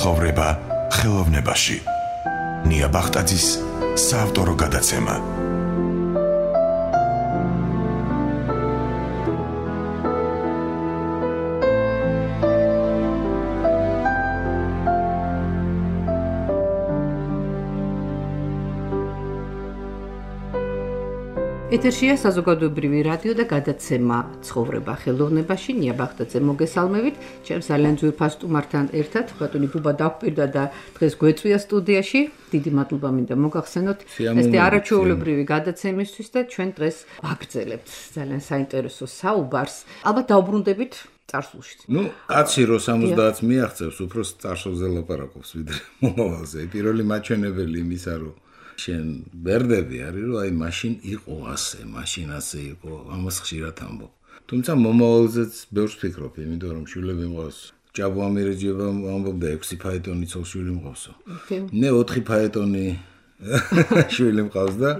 ცხოვრება ხელოვნებაში. ნია ბახტაძის საავტორო გადაცემა. ეთერშია საზოგადოებრივი რადიო და გადაცემა ცხოვრება ხელოვნებაში. ნია ბახტაძე მოგესალმებით. ჩემს ძალიან ძვირფას სტუმართან ერთად ბატონი ბუბა დაგვპირდა და დღეს გვეწვია სტუდიაში. დიდი მადლობა მინდა მოგახსენოთ ეს არაჩვეულებრივი გადაცემისთვის და ჩვენ დღეს ვაგრძელებთ ძალიან საინტერესო საუბარს. ალბათ დაუბრუნდებით წარსულში. კაცი რო 70-ს მიაღწევს, უფრო წარსულზე ლაპარაკობს ვიდრე მომავალზე. პირველი მაჩვენებელი იმისა რომ შენ ბერდები არის რომ აი მაშინ იყო ასე, მაშინ ასე იყო, ამას ხშირად ამბობ. თუმცა მომავალზეც ბევრს ვფიქრობ, იმიტომ რომ შვილები მყავს. ჭაბო ამირეჯიება ამბობდა 6 ფაეტონი ცოლ-შვილი მყავსო. მე 4 ფაეტონი შვილი მყავს და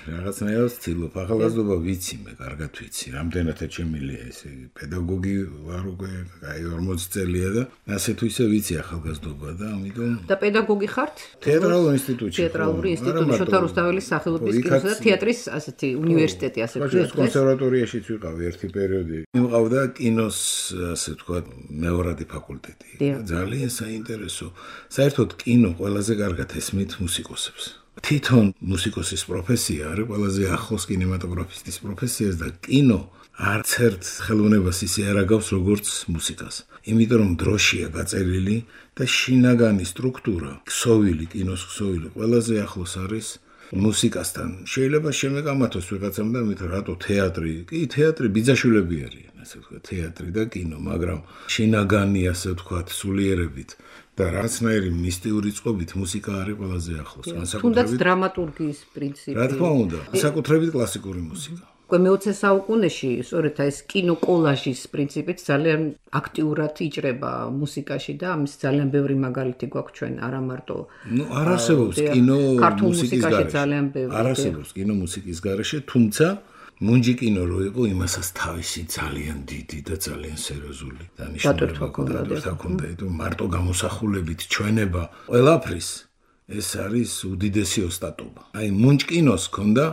რაღაცნაირად ვცდილობ. ახალგაზრდობა ვიცი მე, კარგად ვიცი, რამდენად ეჩემილია ესე პედაგოგი ვარ უკვე, აი 40 წელია და ასე თუ ისე ვიცი ახალგაზრდობა და ამიტომ და პედაგოგი ხართ? თეატრალურ ინსტიტუტში. თეატრალური ინსტიტუტი, შოთა რუსთაველის სახელობის კინოს და თეატრის ასეთი უნივერსიტეტი, ასე ვთქვათ. კონსერვატორიაშიც ვიყავი ერთი პერიოდი. მიმყავდა კინოს, ასე ვთქვათ, მეორადი ფაკულტეტი. ძალიან საინტერესო. საერთოდ კინო ყველაზე კარგად ესმით მუსიკოსებს. თვითონ მუსიკოსის პროფესია არის ყველაზე ახლოს კინემატოგრაფისტის პროფესიას და კინო არც ერთ ხელოვნებას ისე არ აგავს როგორც მუსიკას. იმიტომ რომ დროშია გაწერილი და შინაგანი სტრუქტურა, ქსოვილი, კინოს ქსოვილი ყველაზე ახლოს არის მუსიკასთან. შეიძლება შემეკამათოს ვიღაცამ და მით რატო თეატრი? კი, თეატრი ბიძაშვილები არიან, ასე ვთქვათ, თეატრი და კინო, მაგრამ შინაგანი, ასე ვთქვათ, სულიერებით და რაღაცნაირი მისტიური წყობით მუსიკა არის ყველაზე ახლოს. თუნდაც დრამატურგიის პრინციპი. რა თქმა უნდა, საკუთრებით კლასიკური მუსიკა. უკვე მე-20 საუკუნეში, სწორედ ეს კინოკოლაჟის პრინციპით ძალიან აქტიურად იჭრება მუსიკაში და ამის ძალიან ბევრი მაგალითი გვაქვს ჩვენ, არა მარტო. არ არსებობს კინო მუსიკის გარეშე. ძალიან ბევრი. არ არსებობს კინო მუსიკის გარეშე, თუმცა მუნჯი კინო რო იყო, იმასაც თავისი ძალიან დიდი და ძალიან სერიოზული დანიშნულება ჰქონდა. მარტო გამოსახულებით ჩვენება ყველაფრის ეს არის უდიდესი ოსტატობა. აი მუნჯ კინოს ჰქონდა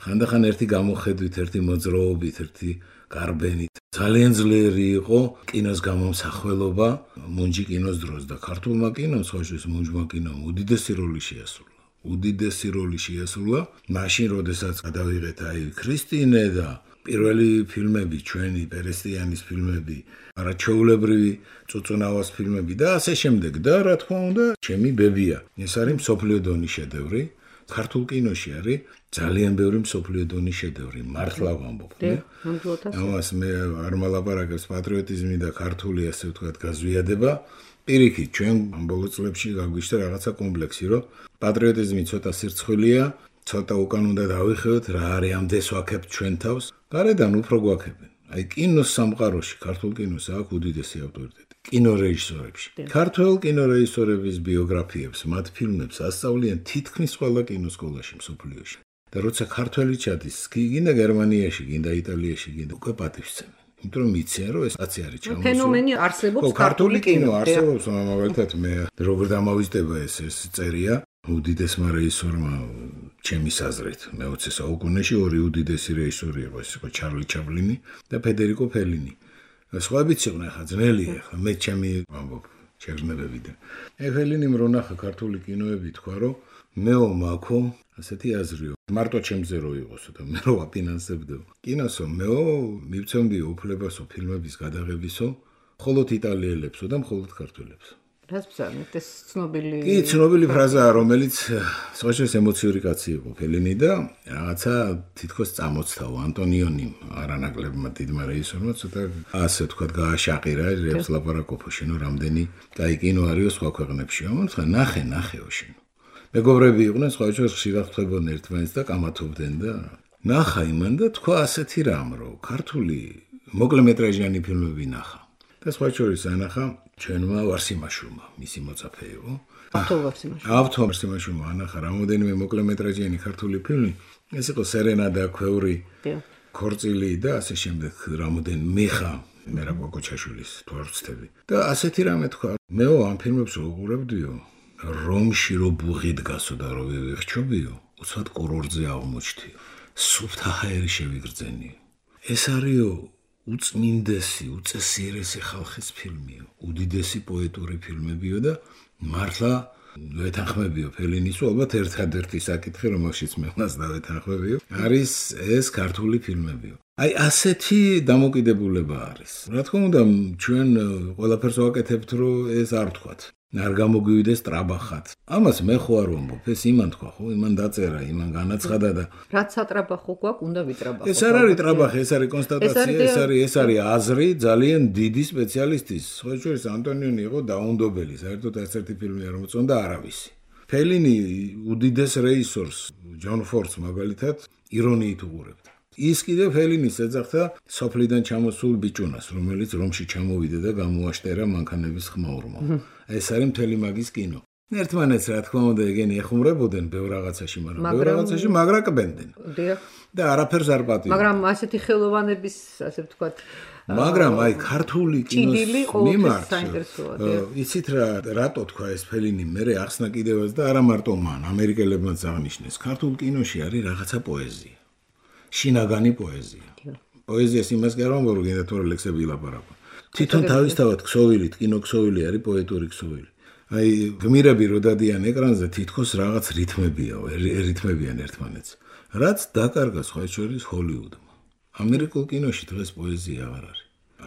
ხანდახან ერთი გამოხედვით, ერთი მოძრაობით, ერთი გარბენით. ძალიან ძლიერი იყო კინოს გამომსახველობა მუნჯი კინოს დროს და ქართულმა კინომ, სხვაშორის მუნჯმა კინომ უდიდესი როლი შეასრულა. უდიდესი როლი შეასრულა. მაშინ, როდესაც გადავიღეთ აი ქრისტინე და პირველი ფილმები, ჩვენი პერესტიანის ფილმები, არაჩვეულებრივი წუწუნავას ფილმები და ასე შემდეგ და რა თქმა უნდა, ჩემი ბებია. ეს არის მსოფლიო დონის შედევრი. ქართულ კინოში არის ძალიან ბევრი მსოფლიო დონის შედევრი. მართლა ვამბობ. ამას მე არ მალაპარაკებს პატრიოტიზმი და ქართული, ასე ვთქვათ, გაზვიადება. პირიქით, ჩვენ ბოლო წლებში გაგვიშთა რაღაცა კომპლექსი, რომ პატრიოტიზმი ცოტა სირცხვილია, ცოტა უკან უნდა დავიხევოთ, რა არის ამდენს ვაქებთ ჩვენ თავს. გარედან უფრო გვაქებენ. აი კინოს სამყაროში, ქართულ კინოს აქვს უდიდესი ავტორიტეტი. კინორეჟისორებში. ქართულ კინორეჟისორების ბიოგრაფიებს, მათ ფილმებს ასწავლიან თითქმის ყველა კინოსკოლაში მსოფლიოში. და როცა ქართველი ჩადის, გინდა გერმანიაში, გინდა იტალიაში, გინდა უკვე პატივსცემენ. იმიტომ რომ იციან რომ ეს კაცი არის ჩამოსული. ფენომენი არსებობს ქართული კინო არსებობს, მაგალითად მე როგორ დამავიწყდება ეს წერია უდიდესმა რეჟისორმა ჩემის აზრით მე-20 საუკუნეში ორი უდიდესი რეჟისორი იყო, ეს იყო ჩარლი ჩაპლინი და ფედერიკო ფელინი. სხვაებიც იყვნენ ხა ძნელია, ხა მე ჩემი ვამბობ შეგრძნებებიდან. ფელინიმ რო ნახა ქართული კინოები თქვა რომ მეო მაქო ასეთი აზრიო. მარტო ჩემზე რო იყოსო და მე რო აფინანსებდო. კინოსო მეო მივცემდიო უფლებასო ფილმების გადაღებისო, მხოლოდ იტალიელებსო და მხოლოდ ქართველებსო. რას ბრძანეთ ეს ცნობილი? კი, ცნობილი ფრაზაა, რომელიც სხვაშორის ემოციური კაცი იყო ფელინი და რაღაცა თითქოს წამოწთაო ანტონიონიმ არანაკლებმა დიდმა რეჟისორმა ცოტა ასე ვთქვათ გააშაყირა რებს ლაპარაკობო შენო რამდენი კაი კინო არისო სხვა ქვეყნებში. ამიტომ ნახეო შენო. მეგობრები იყვნენ, სხვაშორის ხშირად ხვდებოდნენ ერთმანეთს და კამათობდნენ და ნახა იმან და თქვა ასეთი რამ, რომ ქართული მოკლემეტრაჟიანი ფილმები ნახა. და სხვაშორის ანახა ჩვენმა ვარსიმაშვილმა, მისი მოწაფე იყო. ავთო ვარსიმაშვილმა ანახა რამოდენიმე მოკლემეტრაჟიანი ქართული ფილმი, ეს იყო სერენადა, ქვევრი, ქორწილი და ასე შემდეგ, რამოდენ მიხა მერა კოკოჩაშვილის თუ არ ვცდები. და ასეთი რამე თქვა. მე ამ ფილმებს ვუყურებდიო, რომში რო ბუღი დგასო და რო ვიხჩობიო, უცბად კურორტზე აღმოჩდიო. სუფთა ჰაერი შევიგრძენიო. ეს არისო უწმინდესი, უწესიერესი ხალხის ფილმიო, უდიდესი პოეტური ფილმებიო და მართლა ვეთანხმებიო ფელინის, ალბათ ერთადერთი საკითხი, რომელშიც მე მას დავეთანხმებიო, არის ეს ქართული ფილმებიო. აი ასეთი დამოკიდებულება არის. რა თქმა უნდა, ჩვენ ყველაფერს ვაკეთებთ, რომ ეს არ ვთქვათ. არ გამოგვივიდეს ტრაბახად. ამას მე ხო არ ვამბობ, ეს იმან თქვა, ხო, იმან დაწერა, იმან განაცხადა და რაც სატრაბახო გვაქვს, უნდა ვიტრაბახო. ეს არ არის ტრაბახი, ეს არის კონსტატაცია, ეს არის აზრი ძალიან დიდი სპეციალისტის. სხვა შორის ანტონიონი იყო დაუნდობელი, საერთოდ ერთ-ერთი ფილმი არ მოწონდა არავისი. ფელინი უდიდეს რეჟისორს, ჯონ ფორდს მაგალითად ირონიით უყურებდა. ის კიდევ ფელინის ეძახდა სოფლიდან ჩამოსულ ბიჭუნას, რომელიც რომში ჩამოვიდა და გამოაშტერა მანქანების ხმაურმა. ეს არის მთელი მაგის კინო. ერთმანეთს რა თქმა უნდა ეგენი ეხუმრებოდნენ ბევრ რაღაცაში, მაგრამ ბევრ რაღაცაში მაგრაკბენდნენ. და არაფერს არ პატივობდნენ. მაგრამ ასეთი ხელოვანების, ასე ვთქვათ, მაგრამ აი ქართული კინოს მიმართ საინტერესოა. იცით რატო თქვა ეს ფელინი, მე ახსნა კიდევაც და არა მარტო მან, ამერიკელებმაც აღნიშნეს. ქართულ კინოში არის რაღაცა პოეზია. შინაგანი პოეზია. პოეზიას იმას კი არ ვამბობ, რომ გინდა თუ ლექსები ილაპარაკო. თვითონ თავისთავად ქსოვილი, კინოქსოვილი არის პოეტური ქსოვილი. აი გმირები რო დადიან ეკრანზე, თითქოს რაღაც რითმებიან ერთმანეთს. რაც დაკარგა სხვა შორის ჰოლივუდმა. ამერიკულ კინოში დღეს პოეზია აღარ არის.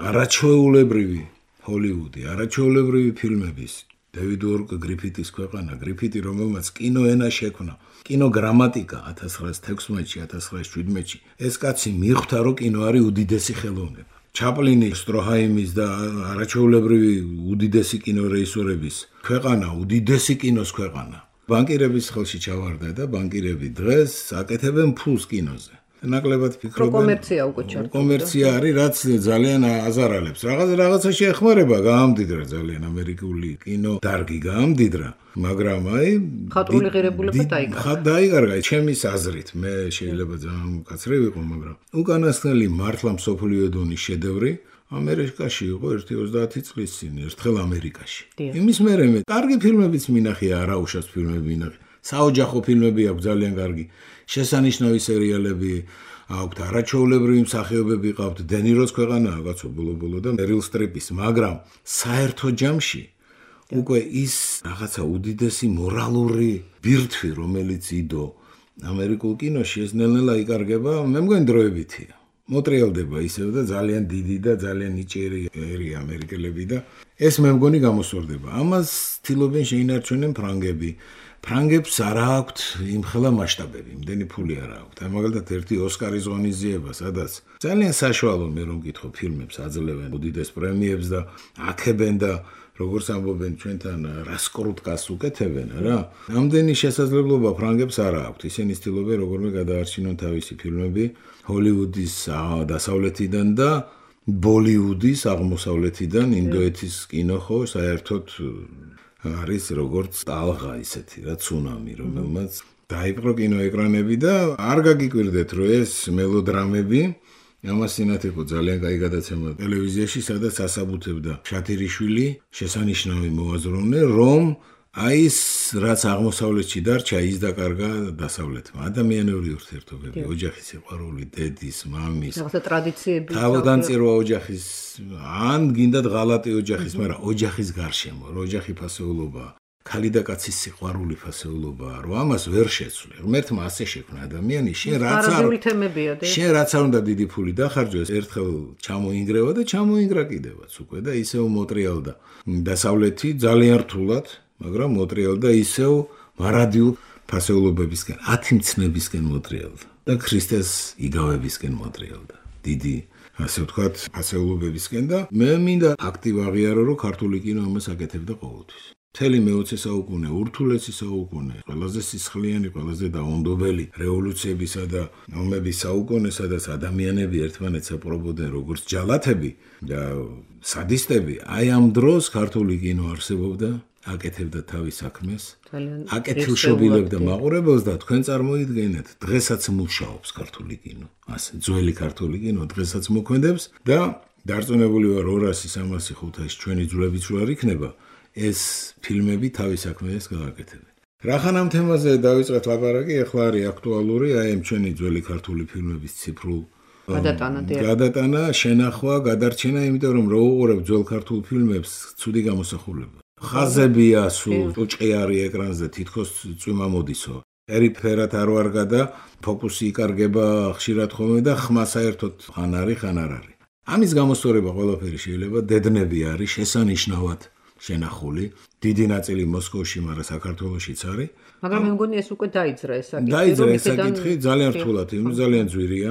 არაჩვეულებრივი ჰოლივუდი, არაჩვეულებრივი ფილმების დევიდ უორკ გრიფიტის ქვეყანა, გრიფიტი რომელმაც კინოენა შექმნა. კინოგრამატიკა 1916-ში, 1917-ში. ეს კაცი მიხვდა, რომ კინო არის უდიდესი ხელოვნება. ჩაპლინი, სტროჰაიმის და არაჩვეულებრივი უდიდესი კინორეჟისორების ქვეყანა, უდიდესი კინოს ქვეყანა. ბანკირების ხელში ჩავარდა და ბანკირები დღეს აკეთებენ ფულს კინოზე. ნაკლებად ფიქრობენ. კომერცია უკვე ჩართული. კომერცია არის, რაც ძალიან აზარალებს. რაღაცაში ეხმარება, გაამდიდრა ძალიან ამერიკული კინო დარგი გაამდიდრა, მაგრამ აი ხატრული ღირებულება დაიკარგა. დაიკარგა, ჩემის აზრით, მე შეიძლება ძალიან მკაცრი ვიყო, მაგრამ უკანასკნელი მართლა მსოფლიო დონის შედევრი ამერიკაში იყო 1-30 წლის წინ, ერთხელ ამერიკაში. იმის მერე მე კარგი ფილმებიც მინახია, არაუშავს ფილმები მინახია. საოჯახო ფილმები აქვს ძალიან კარგი. შესანიშნავი სერიალები აქვთ, არაჩვეულებრივი მსახიობები ყავთ, დენიროს ქვეყანაა კაცო ბოლო-ბოლო და მერილ სტრიპის, მაგრამ საერთო ჯამში უკვე ის რაღაცა უდიდესი მორალური ბირთვი, რომელიც იდო ამერიკულ კინოში, ეს ნელ-ნელა იკარგება, მე მგონი დროებითია. მოტრიალდება ისევ და ძალიან დიდი და ძალიან ნიჭიერი ამერიკელები და ეს მე მგონი გამოსწორდება. ამას ცდილობენ შეინარჩუნեն ფრანგები. ფრანგებს არ აქვთ იმხელა მასშტაბები, იმდენი ფული არ აქვთ. აი მაგალითად ერთი ოსკარის ღონისძიება, სადაც ძალიან საშუალო მე რომ გითხო ფილმებს აძლევენ უდიდეს პრემიებს და აქებენ და როგორც ამბობენ ჩვენთან რასკრუტკას უკეთებენ რა. ამდენი შესაძლებლობა ფრანგებს არ აქვთ. ისინი ცდილობენ როგორმე გადაარჩინონ თავისი ფილმები ჰოლივუდის დასავლეთიდან და ბოლივუდის აღმოსავლეთიდან, ინდოეთის კინო ხო საერთოდ არის როგორც ტალღა ისეთი რა ცუნამი, რომელმაც დაიპყრო კინოეკრანები და არ გაგიკვირდეთ, რომ ეს მელოდრამები ამას წინათ იყო ძალიან კაი გადაცემა ტელევიზიაში, სადაც ასაბუთებდა შათირიშვილი, შესანიშნავი მოაზროვნე, რომ აი ეს რაც აღმოსავლეთში დარჩა, ის დაკარგა დასავლეთმა. ადამიანური ურთიერთობები, ოჯახის სიყვარული, დედის, მამის, რაღაცა ტრადიციები, თავგანწირვა ოჯახის, ან გინდათ ღალატი ოჯახის, მაგრამ ოჯახის გარშემო, ოჯახი ფასეულობაა. ქალი და კაცის სიყვარული ფასეულობაა, რომ ამას ვერ შეცვლი. ღმერთმა ასე შექმნა ადამიანი, შენ რაც არ უნდა დიდი ფული დახარჯოს, ერთხელ ჩამოინგრევა და ჩამოინგრა კიდევაც უკვე და ისევ მოტრიალდა. დასავლეთი ძალიან რთულად, მაგრამ მოტრიალდა ისევ მარადიულ ფასეულობებისკენ, ათიმცნებისკენ მოტრიალდა და ქრისტეს იგავებისკენ მოტრიალდა. დიდი, ასე ვთქვათ, ფასეულობებისკენ და მე მინდა აქტივ აღიარო, რომ ქართული კინო ამას აკეთებდა ყოველთვის. მთელი მე-20 საუკუნე, ურთულესი საუკუნე, ყველაზე სისხლიანი, ყველაზე დაუნდობელი რევოლუციებისა და ომების საუკუნე, სადაც ადამიანები ერთმანეთს აპრობოდნენ როგორც ჯალათები და სადისტები, აი ამ დროს ქართული კინო არსებობდა, აკეთებდა თავის საქმეს, აკეთილშობილებდა მაყურებელს და თქვენ წარმოიდგენეთ, დღესაც მუშაობს ქართული კინო. ასე, ძველი ქართული კინო დღესაც მოქმედებს და დარწმუნებული ვარ 200-300-500 ჩვენი ძვლების რო არ იქნება, ეს ფილმები თავის საქმეს გააკეთებენ. რახან ამ თემაზე დავიწყეთ ლაპარაკი, ახლა არის აქტუალური აი ამ ჩვენი ძველი ქართული ფილმების ციფრულ გადატანა, შენახვა, გადარჩენა, იმიტომ რომ რო უყურებ ძველ ქართულ ფილმებს, ცუდი გამოსახულება. ხაზებია სულ, ტუჭყი არის ეკრანზე, თითქოს წვიმა მოდისო. ერიფერად არ ვარგა და ფოკუსი იკარგება ხშირად ხოლმე და ხმა საერთოდ ხან არის, ხან არ არის. ამის გამოსწორება ყველაფერი შეიძლება დედნები არის შესანიშნავად შენახული, დიდი ნაწილი მოსკოვში, მაგრამ საქართველოშიც არის. მაგრამ მე მგონი ეს უკვე დაიძრა ეს საკითხი. დაიძრა ეს საკითხი, ძალიან რთულად, ძალიან ძვირია.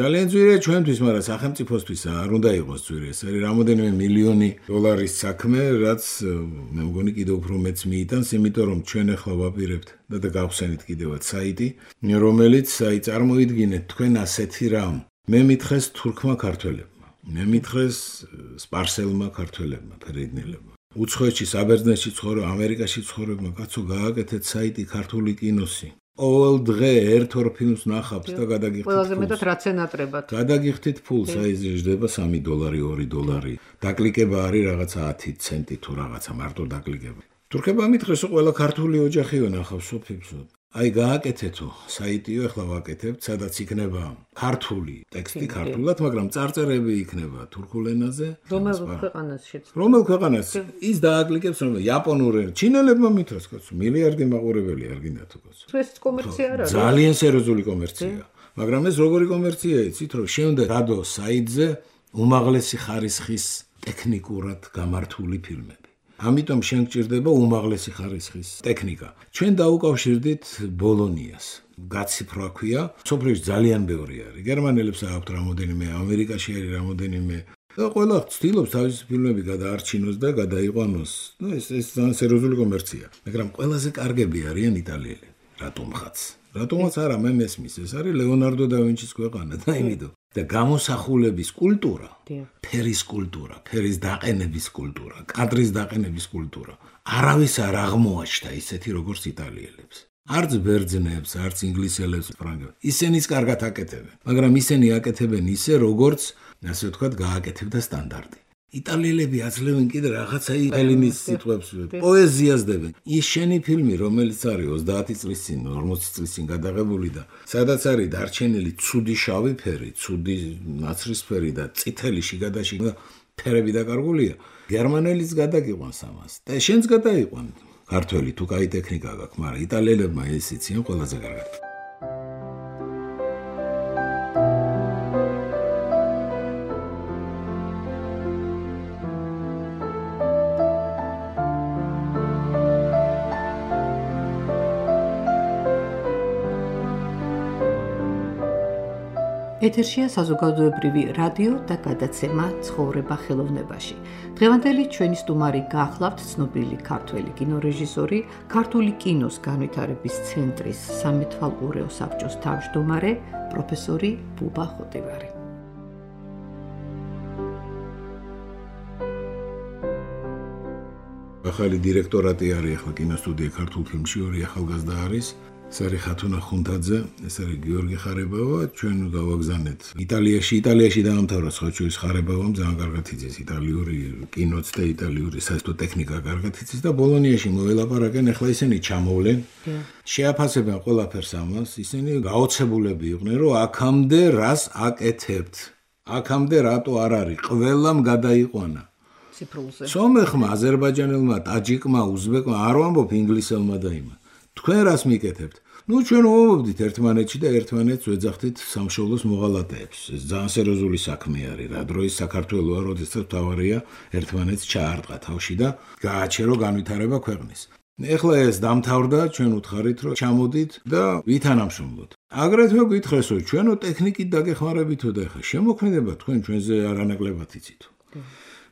ძალიან ძვირია ჩვენთვის, მაგრამ სახელმწიფოსთვის არ უნდა იყოს ძვირი. ეს არის რამოდენიმე მილიონი დოლარის საქმე, რაც მე მგონი კიდევ უფრო მეც მიიტანს, იმიტომ რომ ჩვენ ახლა ვაპირებთ და გავხსენით კიდევაც საიტი, რომელიც წარმოიდგინეთ თქვენ ასეთი რამ. მე მითხრეს თურქმა ქართველებმა, მე მითხრეს სპარსელმა ქართველებმა, ფერეიდნელებმა. უცხოეთში, საბერძნეთში ცხოვრობ, ამერიკაში ცხოვრობ, კაცო გააკეთეთ საიტი ქართული კინოსი. ყოველ დღე ერთ-ორ ფილმს ნახავთ და გადაგიხდით. ყველაზე მეტად რაც ენატრებათ. გადაგიხდით ფულს, აი ზრდება $3, $2. დაკლიკება არის რაღაცა 10 ცენტი თუ რაღაცა მარტო დაკლიკება. თურქებმა მითხრეს, ყველა ქართული ოჯახიო ნახავს ფილმს. აი გააკეთეთო საიტიო, ახლა ვაკეთებთ, სადაც იქნება ქართული ტექსტი ქართულად, მაგრამ წარწერები იქნება თურქულ ენაზე. რომელ ქვეყანას ის დააკლიკებს, რომ იაპონური, ჩინელებმა მითხრეს, კაცო, მილიარდი მაყურებელი არ გინდა თუ კაცო. ეს კომერცია არ არის. ძალიან სერიოზული კომერცია. მაგრამ ეს როგორი კომერცია იცით, რომ შემდეგ რადო საიტზე უმაღლესი ხარისხის ტექნიკურად გამართული ფილმები. ამიტომ შენ გჭირდება უმაღლესი ხარისხის ტექნიკა. ჩვენ დაუკავშირდით ბოლონიას. გაციფრვა ქვია, სოფლიოში ძალიან ბევრი არის. გერმანელებს აქვთ რამოდენიმე, ამერიკაში არის რამოდენიმე. და ყველა ცდილობს თავისი ფილმები გადაარჩინოს და გადაიყვანოს. ეს ძალიან სერიოზული კომერცია. მაგრამ ყველაზე კარგები არიან იტალიელები. რატომღაც? რატომაც არა, მე მესმის, ეს არის ლეონარდო და ვინჩის ქვეყანა და იმედო. და გამოსახულების კულტურა, ფერის კულტურა, ფერის დაყენების კულტურა, კადრის დაყენების კულტურა. არავის არ აღმოაჩნდა ისეთი როგორც იტალიელებს. არც ბერძნებს, არც ინგლისელებს, ფრანგებს. ისინიც კარგად აკეთებენ, მაგრამ ისინი აკეთებენ ისე, როგორც, ასე ვთქვათ, გააკეთებდა სტანდარტი. იტალიელები აძლევენ კიდე რაღაცა ელინის სიტყვებს, პოეზიას დებენ. ის შენი ფილმი, რომელიც არის 30 წლის წინ, 40 წლის წინ გადაღებული და სადაც არის დარჩენილი ცუდი შავი ფერი, ცუდი ნაცრისფერი და წითელი შიგადაში ფერები დაკარგულია, გერმანელიც გადაგიყვანს ამას. და შენც გადაიყვან. ქართველი თუ კაი ტექნიკა გაქვს, მაგრამ იტალიელებმა ეს იციან ყველაზე კარგად. ეთერშია საზოგადოებრივი რადიო და გადაცემა ცხოვრება ხელოვნებაში. დღევანდელი ჩვენი სტუმარი გახლავთ ცნობილი ქართველი კინორეჟისორი, ქართული კინოს განვითარების ცენტრის სამეთვალყურეო საბჭოს თავმჯდომარე, პროფესორი ბუბა ხოტივარი. ახალი დირექტორატი არის ახლა კინოსტუდია ქართულ ფილმში, ორი ახალგაზრდა არის. ეს არის ხათუნა ხუნთაძე, ეს არის გიორგი ხარებავა, ჩვენ გავაგზავნეთ იტალიაში დაამთავრა სხვაჩუის ხარებავამ, ძალიან კარგად იცის იტალიური კინოც და იტალიური საერთო ტექნიკა კარგად იცის და ბოლონიაში მოელაპარაკენ, ახლა ისინი ჩამოვლენ, შეაფასებენ ყველაფერს ამას, ისინი გაოცებულები იყვნენ, რომ აქამდე რას აკეთებთ, აქამდე რატო არ არის, ყველამ გადაიყვანა. სომეხმა, აზერბაიჯანელმა, ტაჯიკმა, უზბეკმა, არ ვამბობ ინგლისელმა და იმა. თქვენ რას მიკეთებთ? ჩვენ ვამბობდით ერთმანეთში და ერთმანეთს ვეძახდით სამშობლოს მოღალატეებს. ეს ძალიან სერიოზული საქმე არის, რა დროის საქართველოა, როდესაც თავარია ერთმანეთს ჩაარტყა თავში და გააჩერო განვითარება ქვეყნის. ეხლა ეს დამთავრდა, ჩვენ უთხარით, რომ ჩამოდით და ვითანამშრომლოთ. აგრეთვე გითხრეს, რომ ჩვენო ტექნიკით დაგეხმარებითო და ეხლა შემოქმედება თქვენ ჩვენზე არანაკლებად იცით.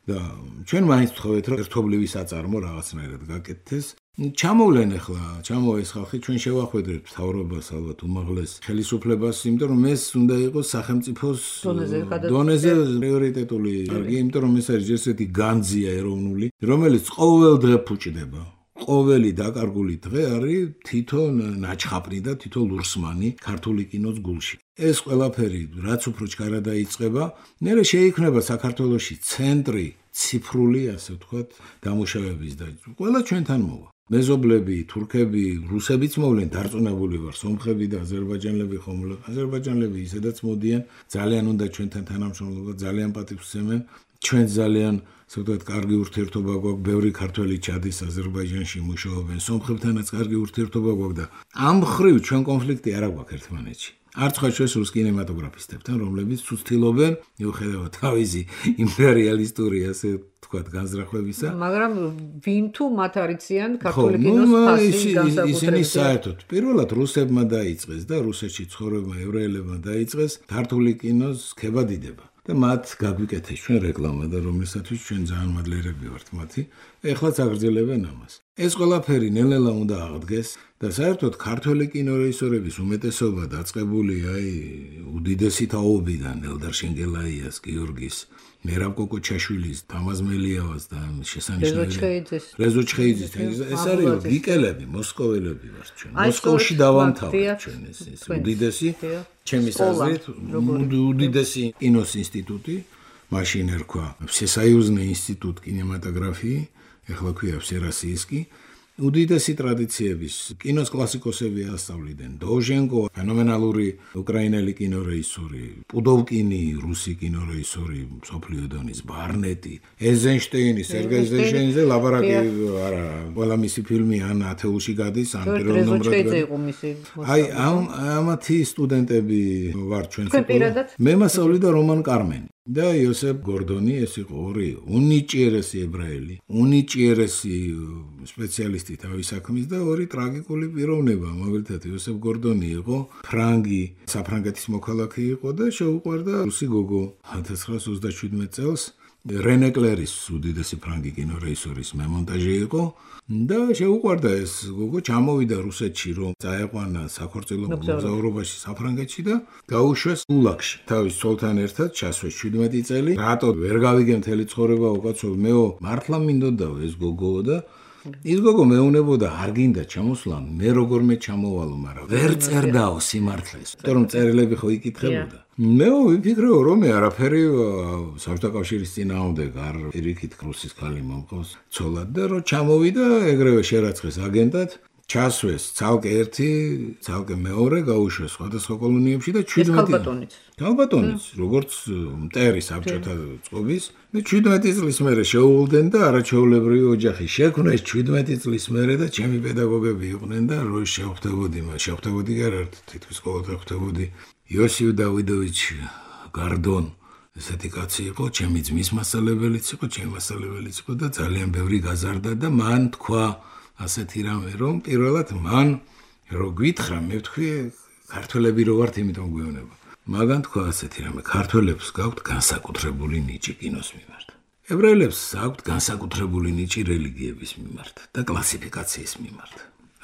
და ჩვენ მაინც ვთხოვეთ, რომ ერთობლივი საწარმო რაღაცნაირად გაკეთდეს. ჩამოვლენ ახლა, ჩამოვა ეს ხალხი, ჩვენ შევახვედრეთ მთავრობას, ალბათ უმაღლეს ხელისუფლებას, იმიტომ რომ ეს უნდა იყოს სახელმწიფოს დონეზე პრიორიტეტული კარგი, იმიტომ რომ ეს არის ესეთი განძია ეროვნული, რომელიც ყოველ დღე ფუჭდება. ყოველი დაკარგული დღე არის თითო ნაჩხაპრი და თითო ლურსმანი ქართული კინოს გულში. ეს ყველაფერი რაც უფრო ჩქარა დაიწყება, მერე შეიქმნება საქართველოში ცენტრი ციფრული, ასე ვთქვათ, დამუშავების და ყველა ჩვენთან მოვა. მეზობლები, თურქები, რუსებიც მოვლენ, დარწმუნებული ვარ, სომხები და აზერბაიჯანელები ხომლო. აზერბაიჯანელები ისედაც მოდიან, ძალიან უნდა ჩვენთან თანამშრომლობა, ძალიან პატივს ვცემენ. ჩვენ ძალიან, ასე ვთქვათ, კარგი ურთიერთობა გვაქვს, ბევრი ქართველი ჩადის აზერბაიჯანში მუშაობენ, სომხებთანაც კარგი ურთიერთობა გვაქვს და ამ მხრივ ჩვენ კონფლიქტი არ აქვს ერთმანეთში. არც ხარ ჩვენს რუს კინემატოგრაფისტებთან, რომლებიც ცუცთილობენ, მიუხედავად თავისი იმპერიალისტური, ასე ვთქვათ, განზრახვებისა. მაგრამ ვინ თუ მათ არიციან ქართული კინოს ფასი განსაკუთრებით. ისინი საერთოდ პირველად რუსებმა დაიწყეს და რუსეთში ცხოვრებმა ევრაელებმა დაიწყეს ქართული კინოს ქებადიდება. და მათ გაგვიკეთეს ჩვენ რეკლამა და რომლისათვის ჩვენ ძალიან მადლიერები ვართ მათი. ეხლაც აგრძელებენ ამას. ეს ყველაფერი ნელ-ნელა უნდა აღდგეს და საერთოდ ქართველი კინორეჟისორების უმეტესობა დაწყებული უდიდესი თაობიდან ელდარ შენგელაიას, გიორგის, მერაბ კოკოჩაშვილის, თამაზ მელიავას და შესანიშნავი რეზო ჩხეიძის. ეს არის გიკელები, მოსკოველები ვართ ჩვენ. მოსკოვში დავამთავრეთ ჩვენ ეს უდიდესი ჩემი აზრით უდიდესი კინოს ინსტიტუტი, მაშინ ერქვა всесоюзный ინსტიტუტ კინემატოგრაფიი, ეხლა ქვია всероссийский. უდიდესი ტრადიციების კინოს კლასიკოსები ასწავლიდნენ. დოჟენკო, ფენომენალური უკრაინელი კინორეჟისორი, პუდოვკინი, რუსი კინორეჟისორი, მსოფლიო დონის ბარნეტი, ეზენშტეინი, სერგეი ეიზენშტეინზე ლაბარაკი არა, ყველა მისი ფილმი ან ათეულში გადის, ან პირველ ნომრად. ამათი სტუდენტები ვარ ჩვენ. მე მასწავლიდა რომან კარმენი. და იოსებ გორდონი, ეს იყო ორი უნიჭიერესი ებრაელი, უნიჭიერესი სპეციალისტი თავის საქმის და ორი ტრაგიკული პიროვნება. მაგალითად, იოსებ გორდონი იყო ფრანგი, საფრანგეთის მოქალაქე იყო და შეუყვარდა რუსი გოგო 1927 წელს. რენე კლერის უდიდესი ფრანგი კინორეჟისორის მემონტაჟე იყო და შეუყვარდა ეს გოგო, ჩამოვიდა რუსეთში, რომ წაეყვანა საქორწილო მოგზაურობაში საფრანგეთში და გაუშვეს გულაგში. თავის ცოლთან ერთად ჩასვეს 17 წელი. რატო ვერ გავიგე მთელი ცხოვრება უკაცრავ მეო, მართლა მინდოდაო ეს გოგო და ის გოგო მეუნებოდა არ გინდა ჩამოსვლა, მე როგორმე ჩამოვალო, მაგრამ ვერ წერდაო სიმართლეს. იმიტომ რომ წერილები ხო იკითხებოდა. მე ვიფიქრეო რომ მე არაფერი საბჭოთა კავშირის წინააღმდეგ არ პირიქით რუსის ქალი მომყავს ცოლად და რომ ჩამოვიდა ეგრევე შერაცხეს აგენტად, ჩასვეს ცალკე ერთი, ცალკე მეორე, გაუშვეს სხვადასხვა კოლონიებში და 17 ქალბატონიც, როგორც მტერი საბჭოთა წყობის და 17 წლის მერე შეუვლდნენ და არაჩვეულებრივი ოჯახი შექმნეს 17 წლის მერე და ჩემი პედაგოგები იყვნენ და რო შეხვდებოდი კი არა თითქოს ყოველდღე ხვდებოდი იოსიფ დავიდოვიჩ გარდონ ესეთი კაცი იყო, ჩემი ძმის მასწავლებელიც იყო, ჩემი მასწავლებელიც იყო და ძალიან ბევრი გაზარდა და მან თქვა ასეთი რამე, რომ პირველად მან რო გვითხრა, მე ვთქვი, ქართველები რო ვართ, იმიტომ გვეუბნება. მაგან თქვა ასეთი რამე, ქართველებს გაქვთ განსაკუთრებული ნიჭი კინოს მიმართ. ებრაელებს აქვთ განსაკუთრებული ნიჭი რელიგიების მიმართ და კლასიფიკაციის მიმართ.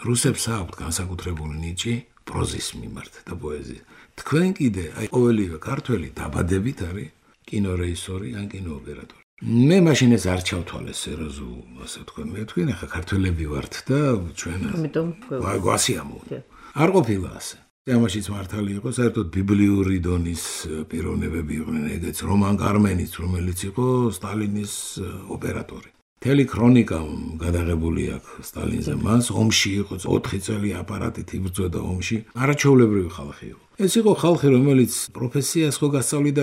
რუსებს აქვთ განსაკუთრებული ნიჭი პროზის მიმართ და პოეზიის. თქვენ კიდე, ყოველივე ქართველი დაბადებით არის კინორეჟისორი ან კინოოპერატორი. მე მაშინ ეს არ ჩავთვალე სერიოზულ, ასე ვთქვი, მე ვთქვი, ახლა ქართველები ვართ და ჩვენ გვასიამო. არ ყოფილა ასე. ამაშიც მართალი იყო, საერთოდ ბიბლიური დონის პიროვნებები იყვნენ, ეგეც რომან კარმენიც, რომელიც იყო სტალინის ოპერატორი. მთელი ქრონიკა გადაღებული აქვს სტალინზე, მას ომში იყო 4 წელი აპარატით იბრძოდა ომში, არაჩვეულებრივი ხალხი იყო. ეს იყო ხალხი, რომელიც პროფესიას ხო გასწავლიდა,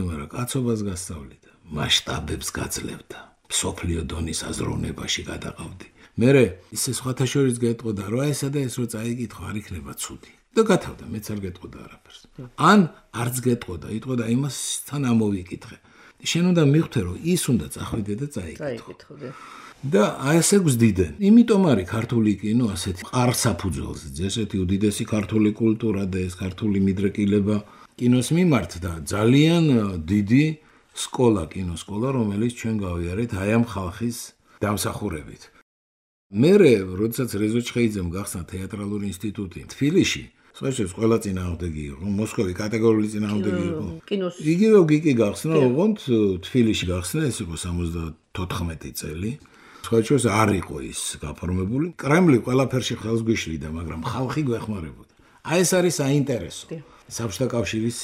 მაგრამ კაცობას გასწავლიდა. მასშტაბებს გაძლევდა. სოფლიო დონის აზროვნებაში გადაყავდი. მერე ისე სხვათა შორის გეტყოდა, რომ ესა და ეს რო წაიკითხო, არ იქნება ცუდი. და გათავდა, მეც არ გეტყოდა არაფერს. ან არც გეტყოდა, იტყოდა იმასთან ამოვიკითხე. შენ უნდა მიხვდე, რომ ის უნდა წახვიდე და წაიკითხო. და ასე გვზდიდნენ. იმიტომ არის ქართული კინო ასეთი ყარსაფუძველზე, ესეთი უდიდესი ქართული კულტურა და ეს ქართული მიდრეკილება კინოს მიმართ და ძალიან დიდი სკოლა, კინოსკოლა, რომელიც ჩვენ გავიარეთ აი ამ ხალხის დამსახურებით. მერე, როდესაც რეზო ჩხეიძემ გახსნა თეატრალური ინსტიტუტი თბილისში, სხვაშორის ყველა წინააღმდეგი იყო, მოსკოვი კატეგორიული წინააღმდეგი იყო. იგივე გიკი გახსნა, ოღონდ თბილისში გახსნა, ეს იყო 74 წელი. სხვაჩოს არ იყო ის გაფორმებული. კრემლი ყველაფერში ხელს გვიშლიდა, მაგრამ ხალხი გვეხმარებოდა. აი ეს არის საინტერესო. საბჭოთა კავშირის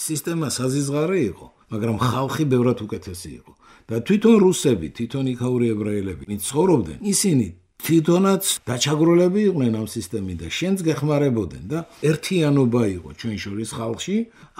სისტემა საზიზღარე იყო, მაგრამ ხალხი ბევრად უკეთესი იყო. და თვითონ რუსები, თვითონ იქაური ებრაელები, ვინც ცხოვრობდნენ, ისინი თვითონაც დაჩაგროლები იყვნენ ამ სისტემიდან და შენც გეხმარებოდნენ და ერთიანობა იყო ჩვენ შორის ხალხში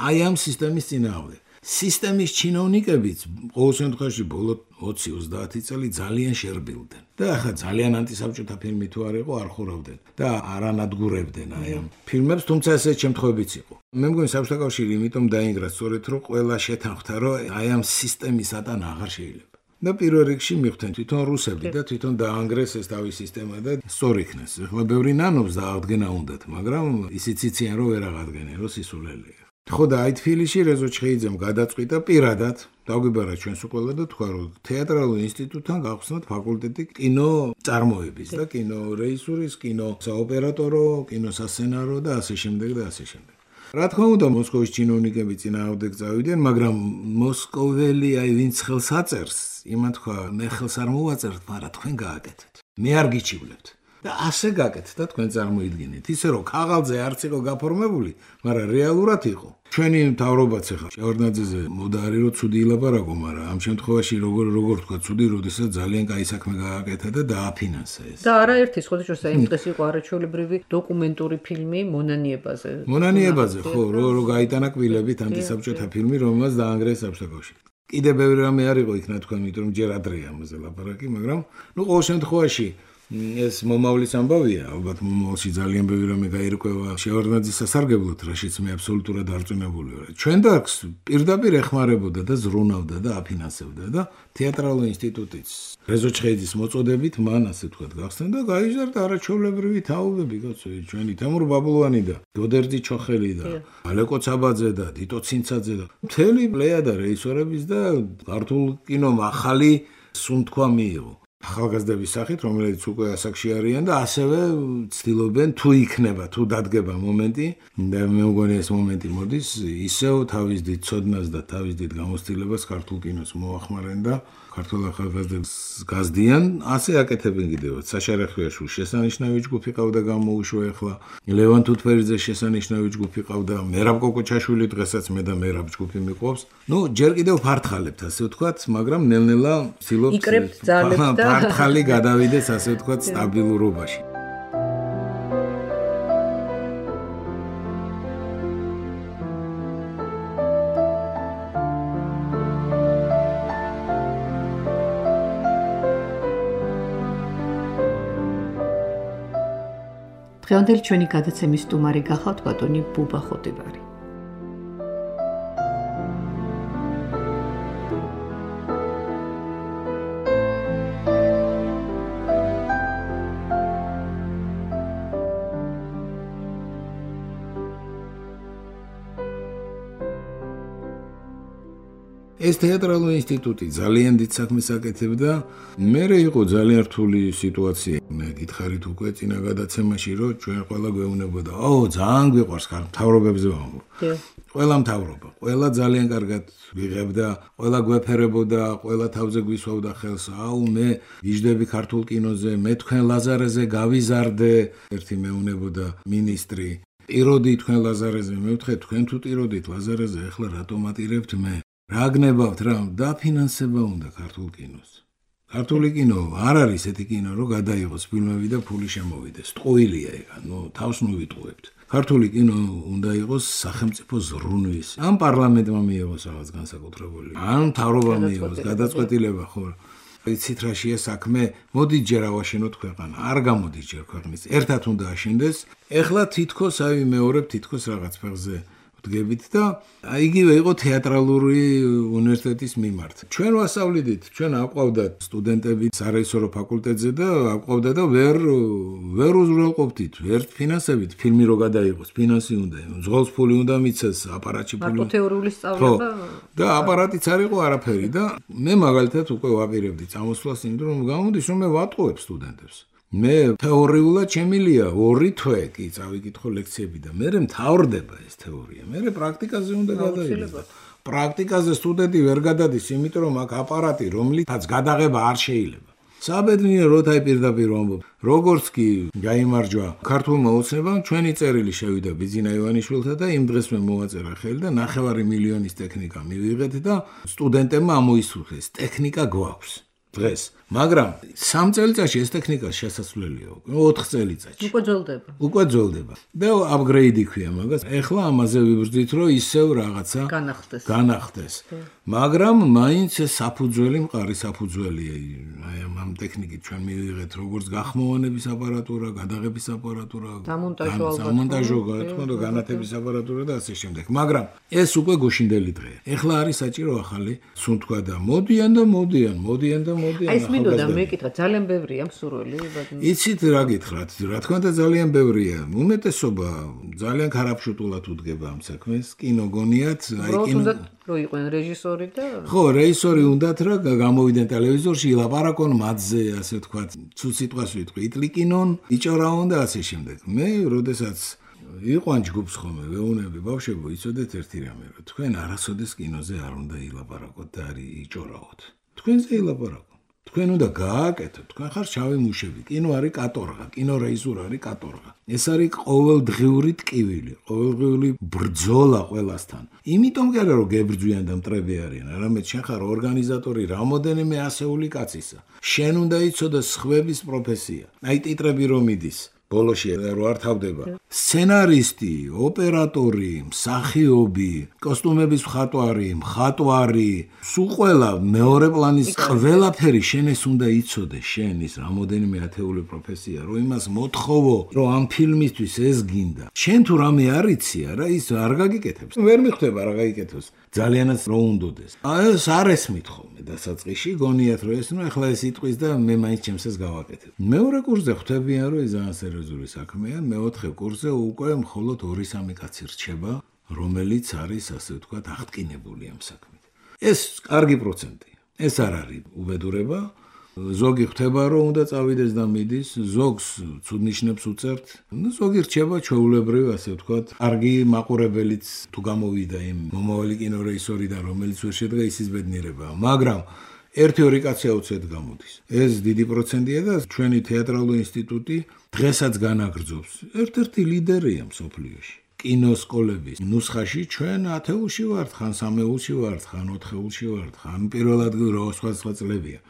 აი ამ სისტემის წინააღმდეგ. სისტემის ჩინოვნიკებიც ყოველ შემთხვევაში ბოლო 20-30 წელი ძალიან შერბილდნენ და ახლა ძალიან ანტისაბჭოთა ფილმი თუ არ იყო არ ხურავდნენ და არ ანადგურებდნენ აი ამ ფილმებს, თუმცა ესეთ შემთხვევებიც იყო. მე მგონი საბჭოთა კავშირი იმიტომ დაინგრა სწორედ რომ ყველა შეთანხმდა რომ აი ამ სისტემის ატანა აღარ შეიძლება. და პირველ რიგში მიხვდნენ თვითონ რუსები და თვითონ დაანგრეს ეს თავის სისტემა და სწორ იქნეს. ახლა ბევრი ნანობს დააღდგენა უნდათ, მაგრამ ისიც იციან რომ ვერ აღადგენენ, რომ სისულელეა. ხო და აი თბილისში რეზო ჩხეიძემ გადაწყვიტა პირადად დაგვიბარა ჩვენს უყველა და თქვა რომ თეატრალურ ინსტიტუტთან გავხსნათ ფაკულტეტი კინო წარმოების და კინო რეჟისურის, კინო საოპერატორო, კინო სასცენარო და ასე შემდეგ და ასე შემდეგ. რა თქმა უნდა მოსკოვის ჩინოვნიკები წინააღმდეგ წავიდნენ, მაგრამ მოსკოველი აი ვინც ხელს აწერს, იმან თქვა მე ხელს არ მოვაწერთ, მაგრამ თქვენ გააკეთეთ. მე არ გიჩივლებთ. და ასე გაკეთეთ და თქვენ წარმოიდგინეთ. ისე რომ ქაღალდზე არც იყო გაფორმებული, მაგრამ რეალურად იყო. ჩვენი მთავრობაც ახლა შევარდნაძეზე მოდა არის რომ ცუდი ილაპარაკო, მაგრამ ამ შემთხვევაში როგორ თქვა ცუდი, როდესაც ძალიან კაი საქმე გააკეთა და დააფინანსა ეს. და არაერთი სხვადასხვა იმ დღეს იყო არაჩვეულებრივი დოკუმენტური ფილმი მონანიებაზე. მონანიებაზე ხო, რომ გაიტანა კბილებით ანტისაბჭოთა ფილმი, რომელსაც დაანგრეს საბჭოთა კავშირი. კიდე ბევრი რამე არ იყო იქ ნათქვა, იმიტომ რომ ჯერ ადრეა ამაზე ლაპარაკი, მაგრამ ნუ ყოველ შემთხვევაში ეს მომავლის ამბავია, ალბათ მომავალში ძალიან ბევრი რამე გაირკვევა შევარდნაძის სასარგებლოდ, რაშიც მე აბსოლუტურად დარწმუნებული ვარ. ჩვენ დარგს პირდაპირ ეხმარებოდა და ზრუნავდა და აფინანსებდა და თეატრალურ ინსტიტუტიც რეზო ჩხეიძის მოწოდებით მან ასე ვთქვათ გახსნა და გაიზარდა არაჩვეულებრივი თაობები, კაცო, ჩვენი თემურ ბაბლუანი და გოდერძი ჩოხელი და ალეკო ცაბაძე და დიტო ცინცაძე და მთელი პლეიადა რეჟისორების და ქართულ კინომ ახალი სუნთქვა მიიღო. ახალგაზრდების სახით, რომელიც უკვე ასაკში არიან და ასევე ცდილობენ თუ იქნება, თუ დადგება მომენტი და მე მგონი ეს მომენტი მოდის, ისევ თავის დიდ ცოდნას და თავის დიდ გამოცდილებას ქართულ კინოს მოახმარენ და ქართულ ახალგაზრდებს გაზდიან, ასე აკეთებენ კიდევაც. საშა რეხვიაშვილის შესანიშნავი ჯგუფი ყავდა გამოუშვა ახლა, ლევან თუთფერიძეს შესანიშნავი ჯგუფი ყავდა, მერაბ კოკოჩაშვილი დღესაც მე და მერაბ ჯგუფი მიყვავს. ნუ ჯერ კიდევ ფართხალებთ, ასე ვთქვათ, მაგრამ ნელ-ნელა ვცდილობთ იკრებთ ძალებს და ფართხალი გადავიდეს, ასე ვთქვათ, სტაბილურობაში. დღევანდელი ჩვენი გადაცემის სტუმარი გახავთ ბატონი ბუბა ხოტიბარი. ეს თეატრალური ინსტიტუტი ძალიან დიდ საქმეს აკეთებდა. მერე იყო ძალიან რთული სიტუაცია. მე გითხარით უკვე წინა გადაცემაში, რომ ჩვენ ყველა გვეუბნებოდა, ძალიან გვიყვარს მთავრობებზე ვამბობ. ყველა მთავრობა, ყველა ძალიან კარგად ვიღებდა, ყველა გვეფერებოდა, ყველა თავზე გვისვავდა ხელს. მე ვიждები ქართულ კინოზე, მე თქვენ ლაზარეზე გავიზარდე, ერთი მეუბნებოდა მინისტრი. ტიროდი თქვენ ლაზარეზე, მე ვთქვი თქვენ თუ ტიროდით ლაზარეზე, ახლა რატომ ატირებთ მე? რა გნებავთ რა დაფინანსება უნდა ქართულ კინოს. ქართული კინო არ არის ესეთი კინო, რომ გადაიღოს ფილმები და ფული შემოვიდეს. ტყუილია ეგ, თავს მოვიტყუებთ. ქართული კინო უნდა იყოს სახელმწიფო ზრუნვის. ამ პარლამენტმა მიიღოს რაღაც განსაკუთრებული. ან მთავრობამ მიიღოს გადაწყვეტილება, ხო. იცით რა შეა საქმე, მოდით ჯერ ავაშენოთ ქვეყანა. არ გამოდის ჯერ ქვეყნის. ერთად უნდა აშენდეს. ეხლა თითქოს მეორებ თითქოს რაღაც ფეხზე ვდგებით და იგივე იყო თეატრალური უნივერსიტეტის მიმართ. ჩვენ ვასწავლიდით, ჩვენ აყვავდათ სტუდენტები სარეჟისორო ფაკულტეტზე და აყვავდა და ვერ უზრუნველყოფდით, ვერ ფინანსებით ფილმი რო გადაიღოს, ფინანსი უნდა, ზღოლს ფული უნდა მიცეს, აპარატში ფული. მარტო თეორიული სწავლება და აპარატიც არ იყო არაფერი და მე მაგალითად უკვე ვაპირებდი წამოსვლას, იმიტომ რომ გამოდის რომ მე ვატყუებ სტუდენტებს. მე თეორიულად შემილია 2 თვე კი წავიკითხო ლექციები და მე მთავრდება ეს თეორია. მე პრაქტიკაზე უნდა გადაიღოს. პრაქტიკაზე სტუდენტი ვერ გადადის, იმიტომ რომ აქ აპარატი, რომლითაც გადაღება არ შეიძლება. საბედნიერო როთაი პირდაპირ ვამბობ. როგორც კი გაიმარჯვა ქართულმა ოცნებამ, ჩვენი წერილი შევიდა ბიძინა ივანიშვილთა და იმ დღეს მე მოვაწერა ხელი და 9 მილიონის ტექნიკა მივიღეთ და სტუდენტებმა ამოისურვეს. ტექნიკა გვაქვს. დღეს, მაგრამ 3 წელიწადში ეს ტექნიკა შესაძლებელია, 4 წელიწადში. უკვე ძოლდება. და აპგრეიდი ქვია მაგას. ეხლა ამაზე ვიბრძვით, რომ ისევ რაღაცა განახდეს. მაგრამ მაინც ეს საფუძველი, მყარი საფუძველია. აი ამ ტექნიკით ჩვენ მივიღეთ როგორც გახმოვანების აპარატურა, გადაღების აპარატურა, დამონტაჟო, განათების აპარატურა და ასე შემდეგ. მაგრამ ეს უკვე გუშინდელი დღეა. ეხლა არის საჭირო ახალი, სულ თქვა და მოდიან. აი ეს მინდოდა მეკითხა, ძალიან ბევრია მსურველი, იცით რა გითხრათ, რა თქმა უნდა ძალიან ბევრია. უმეტესობა ძალიან ქარაფშუტულად უდგება ამ საქმეს, კინო გონიათ, აი კინო რო იყვნენ რეჟისორი და ხო, რეჟისორი უნდათ რა გამოვიდნენ ტელევიზორში, ილაპარაკონ მათზე, ასე ვთქვათ, ცუდ სიტყვას ვიტყვი, იტლიკინონ, იჭორაონ და ასე შემდეგ. მე, როდესაც იყვან ჯგუფს ხომე, ვეუნები ბავშვებო, იცოდეთ ერთი რამე, რომ თქვენ არასოდეს კინოზე არ უნდა ილაპარაკოთ და არ იჭორაოთ. თქვენზე ილაპარაკო. თქვენ უნდა გააკეთოთ, თქვენ ხარ შავი მუშები, კინო არის კატორღა, კინო რეჟისორი არის კატორღა. ეს არის ყოველდღიური ტკივილი, ყოველდღიური ბრძოლა ყველასთან. იმიტომ კი არა რომ გებრძვიან და მტრები არიან, არამედ შენ ხარ ორგანიზატორი რამოდენიმე ასეული კაცისა. შენ უნდა იცოდეს სხვების პროფესია. აი ტიტრები რომ მიდის ბოლოში რო არ თავდება. სცენარისტი, ოპერატორი, მსახიობი, კოსტუმების მხატვარი, სულ ყველა მეორე პლანის ყველაფერი შენ ეს უნდა იცოდეს, შენ ის რამოდენიმე ათეული პროფესია, რომ იმას მოთხოვო, რომ ამ ფილმისთვის ეს გინდა. შენ თუ რამე არ იცი, არა ის არ გაგიკეთებს. ვერ მიხვდება რა გაიკეთოს. ძალიანაც რო უნდოდეს. ეს არ ესმით ხოლმე დასაწყისში, გონიათ რომ ეს ნუ ახლა ეს იტყვის და მე მაინც ჩემს ეს გავაკეთებ. მეორე კურსზე ხვდებიან რომ ეს ძალიან სერიოზული საქმეა, მეოთხე კურსზე უკვე მხოლოდ 2-3 კაცი რჩება, რომელიც არის ასე ვთქვათ აღტკინებული ამ საქმით. ეს კარგი პროცენტია. ეს არ არის უბედურება. ზოგი ხვდება რომ უნდა წავიდეს და მიდის, ზოგს ცუდ ნიშნებს უწერთ. ზოგი რჩება ჩვეულებრივ, ასე ვთქვათ, კარგი მაყურებელიც თუ გამოვიდა იმ მომავალი კინორეჟისორი და რომელიც ვერ შედგა ისის ბედნიერებაა. მაგრამ 1-2 კაცი აუცილებლად გამოდის. ეს დიდი პროცენტია და ჩვენი თეატრალური ინსტიტუტი დღესაც განაგრძობს. ერთ-ერთი ლიდერია მსოფლიოში. კინოსკოლების ნუსხაში ჩვენ 10-ში ვართ, ხან 3-ში ვართ, ხან 4-ში ვართ, ხან პირველ ადგილზე სხვა წლებია.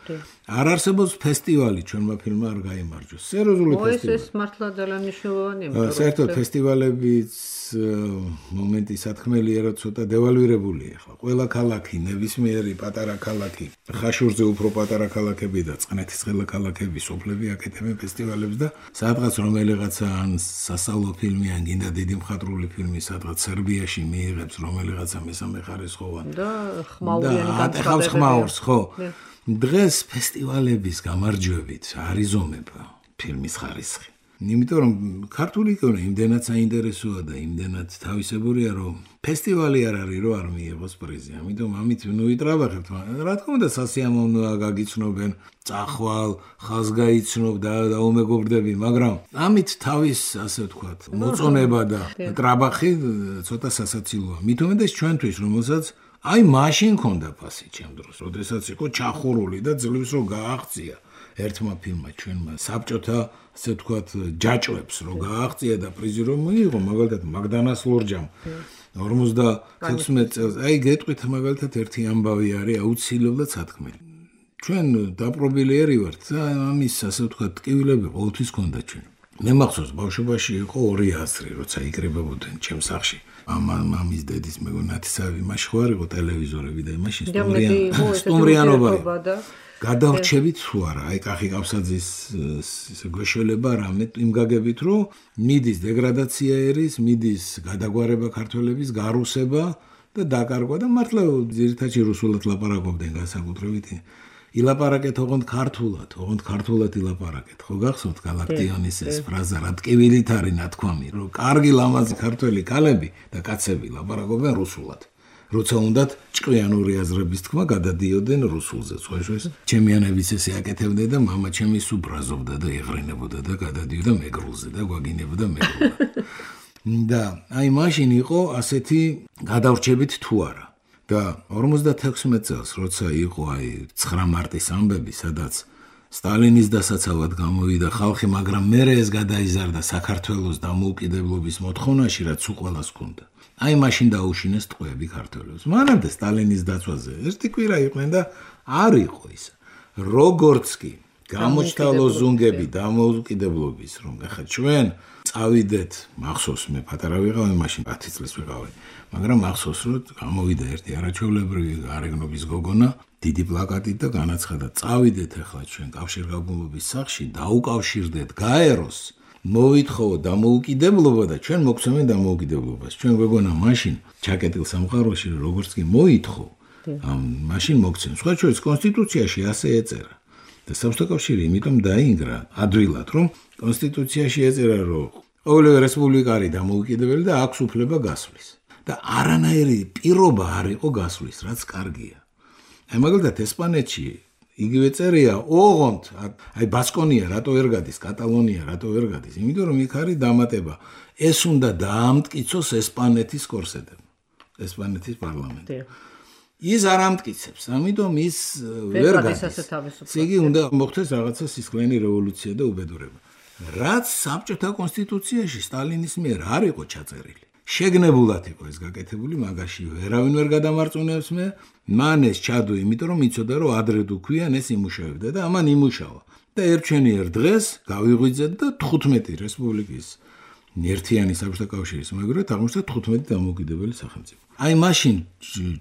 არ არსებობს ფესტივალი ჩვენმა ფილმმა არ გაიმარჯვოს. სერიოზული ფესტივალი. ეს მართლა ძალიან მნიშვნელოვანია. საერთოდ ფესტივალების მომენტი სათქმელია, რომ ცოტა დევალვირებულია ახლა. ყველა ქალაქი, ნებისმიერი პატარა ქალაქი, ხაშურზე უფრო პატარა ქალაქები და წყნეთის ყველა ქალაქები, სოფლები აკეთებენ ფესტივალებს და სადღაც რომელიღაცა ან სასწავლო ფილმი, ან გინდა დიდი მხატვრული ფილმი სადღაც სერბიაში მიიღებს რომელიღაცა მესამე ხარისხოვანი და ხმაურიანი განცხადებაა. ხმაურს, ხო. დღეს ფესტივალების გამარჯვებით არიზომება ფილმის ხარისხი. იმიტომ რომ ქართული კინო იმდენად საინტერესოა და იმდენად თავისებურია, რომ ფესტივალი არ არის, რომ არ მიიღოს პრიზი. ამიტომ ამით ნუ ვიტრაბახებთ, რა თქმა უნდა სასიამოვნოა გაგიცნობენ, წახვალ, ხაზს გაიცნობ და დაუმეგობრდები, მაგრამ ამით თავის, ასე ვთქვათ, მოწონება და ტრაბახი ცოტა სასაცილოა. მით უმეტეს ჩვენთვის, რომელსაც აი მაშინ ქონდა ფასი ჩემ დროს, როდესაც იყო ჩახურული და ძლივს რო გააღწია ერთმა ფილმმა ჩვენმა საბჭოთა, ასე ვთქვათ, ჯაჭვებს რო გააღწია და პრიზი რო მიიღო, მაგალითად მაგდანას ლორჯამ 56 წელს. აი გეტყვით მაგალითად ერთი ამბავი არის აუცილებლად სათქმელი. ჩვენ დაპრობილერი ვართ და ამის, ასე ვთქვათ, ტკივილები ყოველთვის ქონდა ჩვენ. მე მახსოვს ბავშვობაში იყო 2 ასრი, როცა იკრიბებოდნენ ჩემს სახლში. მამის დედის მეგონათისავი მაშინ ხო არ იყო ტელევიზორები და მაშინ სტუმრიანობა გადავრჩებით თუ არა, აი კახი კავსაძის გვეშველება რამე იმ გაგებით, რომ მიდის დეგრადაცია ერის, მიდის გადაგვარება ქართველების, გარუსება და დაკარგვა და მართლა ძირითადად რუსულად ლაპარაკობდნენ განსაკუთრებით. ილაპარაკეთ ოღონდ ქართულად ილაპარაკეთ. ხო გახსოვთ გალაქტიონის ეს ფრაზა, რა ტკივილით არის ნათქვამი, რომ კარგი ლამაზი ქართველი ქალები და კაცები ლაპარაკობენ რუსულად. როცა უნდათ ჭკვიანური აზრების თქმა გადადიოდნენ რუსულზე. სხვაშორის ჩემიანებიც ესე აკეთებდნენ და მამა ჩემი სუბრაზობდა და ეღრინებოდა და გადადიოდა მეგრულზე და გვაგინებოდა მეგრულა. და აი მაშინ იყო ასეთი გადავრჩებით თუ არა. და 56 წელს, როცა იყო აი 9 მარტის ამბები, სადაც სტალინის დასაცავად გამოვიდა ხალხი, მაგრამ მერე ეს გადაიზარდა საქართველოს დამოუკიდებლობის მოთხოვნაში, რაც უყველას ჰქონდა. აი მაშინ დაუშინეს ტყვეები ქართველებს. მანამდე სტალინის დაცვაზე ერთი კვირა იყვნენ და არ იყო ის. როგორც კი გამოჩნდა ლოზუნგები დამოუკიდებლობის, რომ ახლა ჩვენ წავიდეთ, მახსოვს მე პატარა ვიყავი, მაშინ 10 წლის ვიყავი, მაგრამ მახსოვს რომ გამოვიდა ერთი არაჩვეულებრივი გარეგნობის გოგონა, დიდი პლაკატით და განაცხადა, წავიდეთ ახლა ჩვენ კავშირგაბმულობის სახლში, დაუკავშირდეთ გაეროს, მოვითხოვოთ დამოუკიდებლობა და ჩვენ მოგცემენ დამოუკიდებლობას. ჩვენ გოგონა მაშინ ჩაკეტილ სამყაროში როგორც კი მოითხოვ, მაშინ მოგცემ. სხვა შორის კონსტიტუციაში ასე ეწერა. და საბჭოთა კავშირი იმიტომ დაინგრა ადვილად, რომ კონსტიტუციაში ეწერა, რომ ყოველივე რესპუბლიკა არის დამოუკიდებელი და აქვს უფლება გასვლის. და არანაირი პირობა არ იყო გასვლის, რაც კარგია. აი მაგალითად ესპანეთში იგივე წერია, ოღონდ, აი ბასკონია რატო ვერ გადის, კატალონია რატო ვერ გადის, იმიტომ რომ იქ არის დამატება. ეს უნდა დაამტკიცოს ესპანეთის კორსეტებმა, ესპანეთის პარლამენტი. ის არ ამტკიცებს, ამიტომ ის ვერ გადის. იგი უნდა მოხდეს რაღაცა სისხლიანი რევოლუცია და უბედურება. რაც საბჭოთა კონსტიტუციაში სტალინის მიერ არ იყო ჩაწერილი. შეგნებულად იყო ეს გაკეთებული, მაგაში ვერავინ ვერ გადამარწმუნებს მე, მან ეს ჩადო, იმიტომ რომ იცოდა რომ ადრე თუ ქვიან ეს იმუშავებდა და ამან იმუშავა. და ერთჩენიერ დღეს გავიღვიძეთ და 15 რესპუბლიკის ერთიანი საბჭოთა კავშირის მეგობრად აღმოჩნდა 15 დამოუკიდებელი სახელმწიფო. აი მაშინ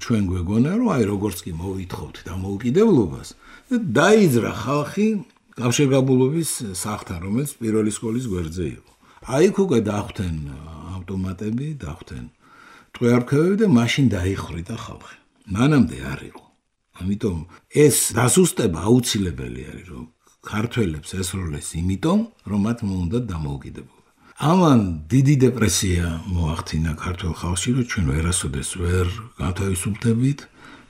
ჩვენ გვეგონა რომ აი როგორც კი მოვითხოვთ დამოუკიდებლობას და დაიძრა ხალხი კავშირგაბმულობის სახლთან, რომელიც პირველი სკოლის გვერდზე იყო. აი იქ უკვე დახვდნენ ავტომატები, დახვდნენ ტყვეარქევები და მაშინ დაიხრიტა ხალხი. მანამდე არ იყო. ამიტომ ეს დასუსტება აუცილებელი არის, რომ ქართველებს ესროლეს იმიტომ, რომ მათ მოუნდათ დამოუკიდებლობა. ამან დიდი დეპრესია მოახდინა ქართულ ხალხში, რომ ჩვენ ვერასოდეს ვერ განთავისუფლდებით,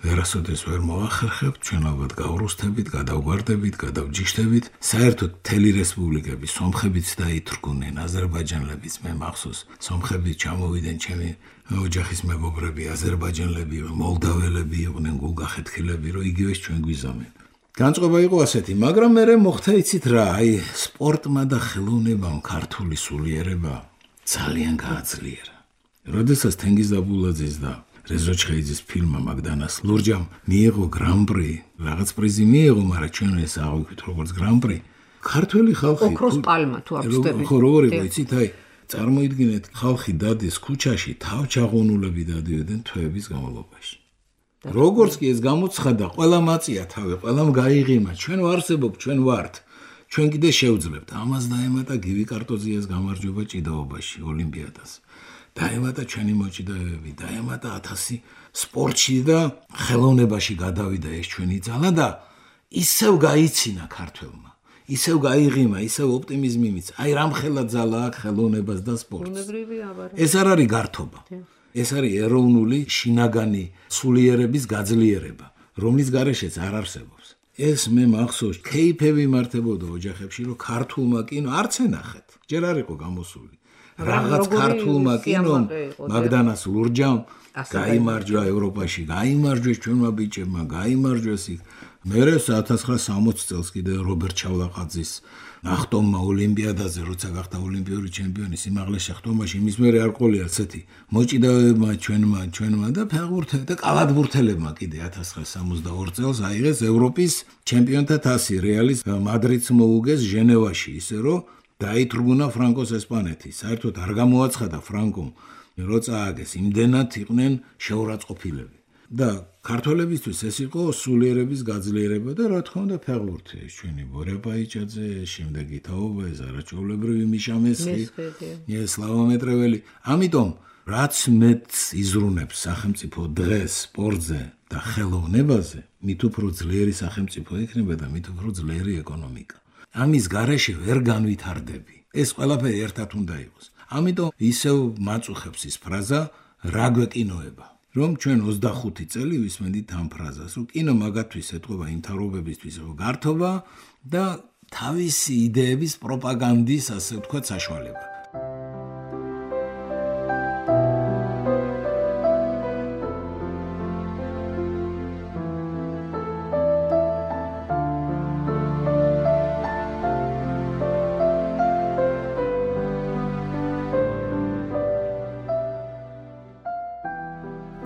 ვერასოდეს ვერ მოახერხებთ, ჩვენ ალბათ გავრუსთებით, გადავგვარდებით, გადავჯიშდებით. საერთოდ მთელი რესპუბლიკები სომხებიც დაითრგუნენ, აზერბაიჯანლებიც, მე მახსოვს, სომხებიც ჩამოვიდნენ ჩემი ოჯახის მეგობრები, აზერბაიჯანელები, მოლდაველები იყვნენ, გულგახეთქილები, რომ იგივეს ჩვენ გვიზამენ. განწყობა იყო ასეთი, მაგრამ მე მოხდა იცით რა, აი სპორტმა და ხელოვნებამ ქართული სულიერება ძალიან გააძლიერა. როდესაც თენგიზ დაბულაძის და რეზო ჩხეიძის ფილმმა მაგდანას ლურჯამ მიიღო გრან-პრი, რაღაც პრიზი მიიღო, მაგრამ ჩვენ ეს აღვიქვით როგორც გრან-პრი. ქართველი ხალხი ოქროს პალმა თუ აღწევთ. ხო, როგორ იყო, იცით, აი წარმოიდგინეთ, ხალხი დადის ქუჩაში, თავჩაღუნულები დადიოდნენ თვეების განმავლობაში. როგორც კი ეს გამოცხადა, ყველა მაწია თავი, ყველამ გაიღიმა, ჩვენ ვარსებობ, ჩვენ ვართ. ჩვენ კიდე შევძლებთ. ამას დაემატა გივი კარტოზიას გამარჯვება ჭიდაობაში, ოლიმპიადას. დაემატა ჩვენი მოჭიდავეები, დაემატა 1000 სპორტში და ხელოვნებაში გადავიდა ეს ჩვენი ძალა და ისევ გაიცინა ქართველმა. ისევ გაიღიმა, ისევ ოპტიმიზმი მიცა. აი რამხელა ძალა აქვს ხელოვნებას და სპორტს. ეს არ არის გართობა. ეს არის ეროვნული შინაგანი სულიერების გაძლიერება, რომლის გარეშეც არ არსებობს. ეს მე მახსოვს, კეიფები მართებოდა ოჯახებში, რომ ქართულმა კინო არც ენახეთ. ჯერ არ იყო გამოსული. რაღაც ქართულმა კინომ მაგდანას ლურჯამ გაიმარჯვა ევროპაში, გაიმარჯვეს ჩვენმა ბიჭებმა, გაიმარჯვეს იქ. მერე 1960 წელს კიდე რობერტ ჩავლაყაძის ნახტომმა ოლიმპიადაზე, როცა გახდა ოლიმპიური ჩემპიონი სიმაღლეს შეხვდომაში, იმის მერე არ ყოლია ასეთი მოჭიდავეებმა ჩვენმა და ფეხბურთელებმა და კალათბურთელებმა კიდე 1962 წელს აიღეს ევროპის ჩემპიონთა თასი, რეალის მადრიდს მოუგეს ჟენევაში, ისე რომ დაითრგუნა ფრანკოს ესპანეთი. საერთოდ არ გამოაცხადა ფრანკომ, რომ წააგეს, იმდენად იყვნენ შეურაცხყოფილები. და ქართველებისთვის ეს იყო სულიერების გაძლიერება და რა თქმა უნდა ფეხბურთი, ეს ჩვენი ბორე პაიჭაძე, შემდეგი თაობა, ეს არაჩვეულებრივი მიშა მესხი, ეს სლავა მეტრეველი. ამიტომ რაც მეც იზრუნებს სახელმწიფო დღეს სპორტზე და ხელოვნებაზე, მით უფრო ძლიერი სახელმწიფო იქნება და მით უფრო ძლიერი ეკონომიკა. ამის გარეშე ვერ განვითარდები. ეს ყველაფერი ერთად უნდა იყოს. ამიტომ ისევ მაწუხებს ის ფრაზა, რა გვეკინოება. რომ ჩვენ 25 წელი ვისმენდით ამ ფრაზას, რომ კინო მაგათთვის ეთყობა იმთავრობებისთვის, რომ გართობა და თავისი იდეების პროპაგანდის, ასე ვთქვათ, საშუალება.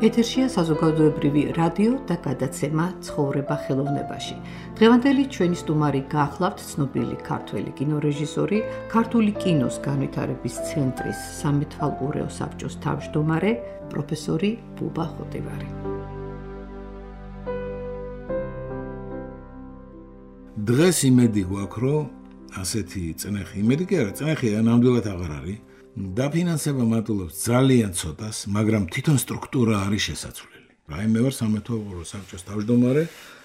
ეთერშია საზოგადოებრივი რადიო და გადაცემა ცხოვრება ხელოვნებაში. დღევანდელი ჩვენი სტუმარი გახლავთ ცნობილი ქართველი კინორეჟისორი, ქართული კინოს განვითარების ცენტრის სამეთვალყურეო საბჭოს თავმჯდომარე, პროფესორი ბუბა ხოტივარი. დღეს იმედი გვაქვს, რომ ასეთი წნეხი, იმედი კი არა, წნეხი ნამდვილად აღარ არის. დაფინანსება მატულობს ძალიან ცოტას, მაგრამ თვითონ სტრუქტურა არის შესაძლებელი. აი მე ვარ სამეთვალყურო საბჭოს თავმჯდომარე,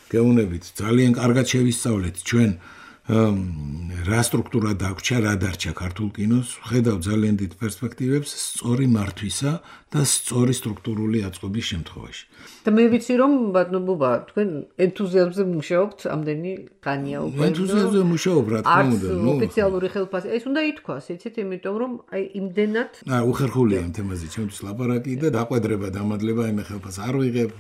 გეუბნებით, ძალიან კარგად შევისწავლეთ ჩვენ რა სტრუქტურა დაგვრჩა, რა დარჩა ქართულ კინოს, ხედავ ძალიან დიდ პერსპექტივებს სწორი მართვისა და სწორი სტრუქტურული აწყობის შემთხვევაში. და მე ვიცი რომ ბატონო ბუბა, თქვენ ენთუზიაზმზე მუშაობთ ამდენი ხანია უკვე. ენთუზიაზმზე მუშაობ, რა თქმა უნდა, ნუ ოფიციალური ხელფასი. ეს უნდა ითქვას, იცით, იმიტომ რომ აი იმდენად უხერხულია ამ თემაზე ჩემთვის ლაპარაკი და დაყვედრება დამადლება იმ ხელფასს არ ვიღებ.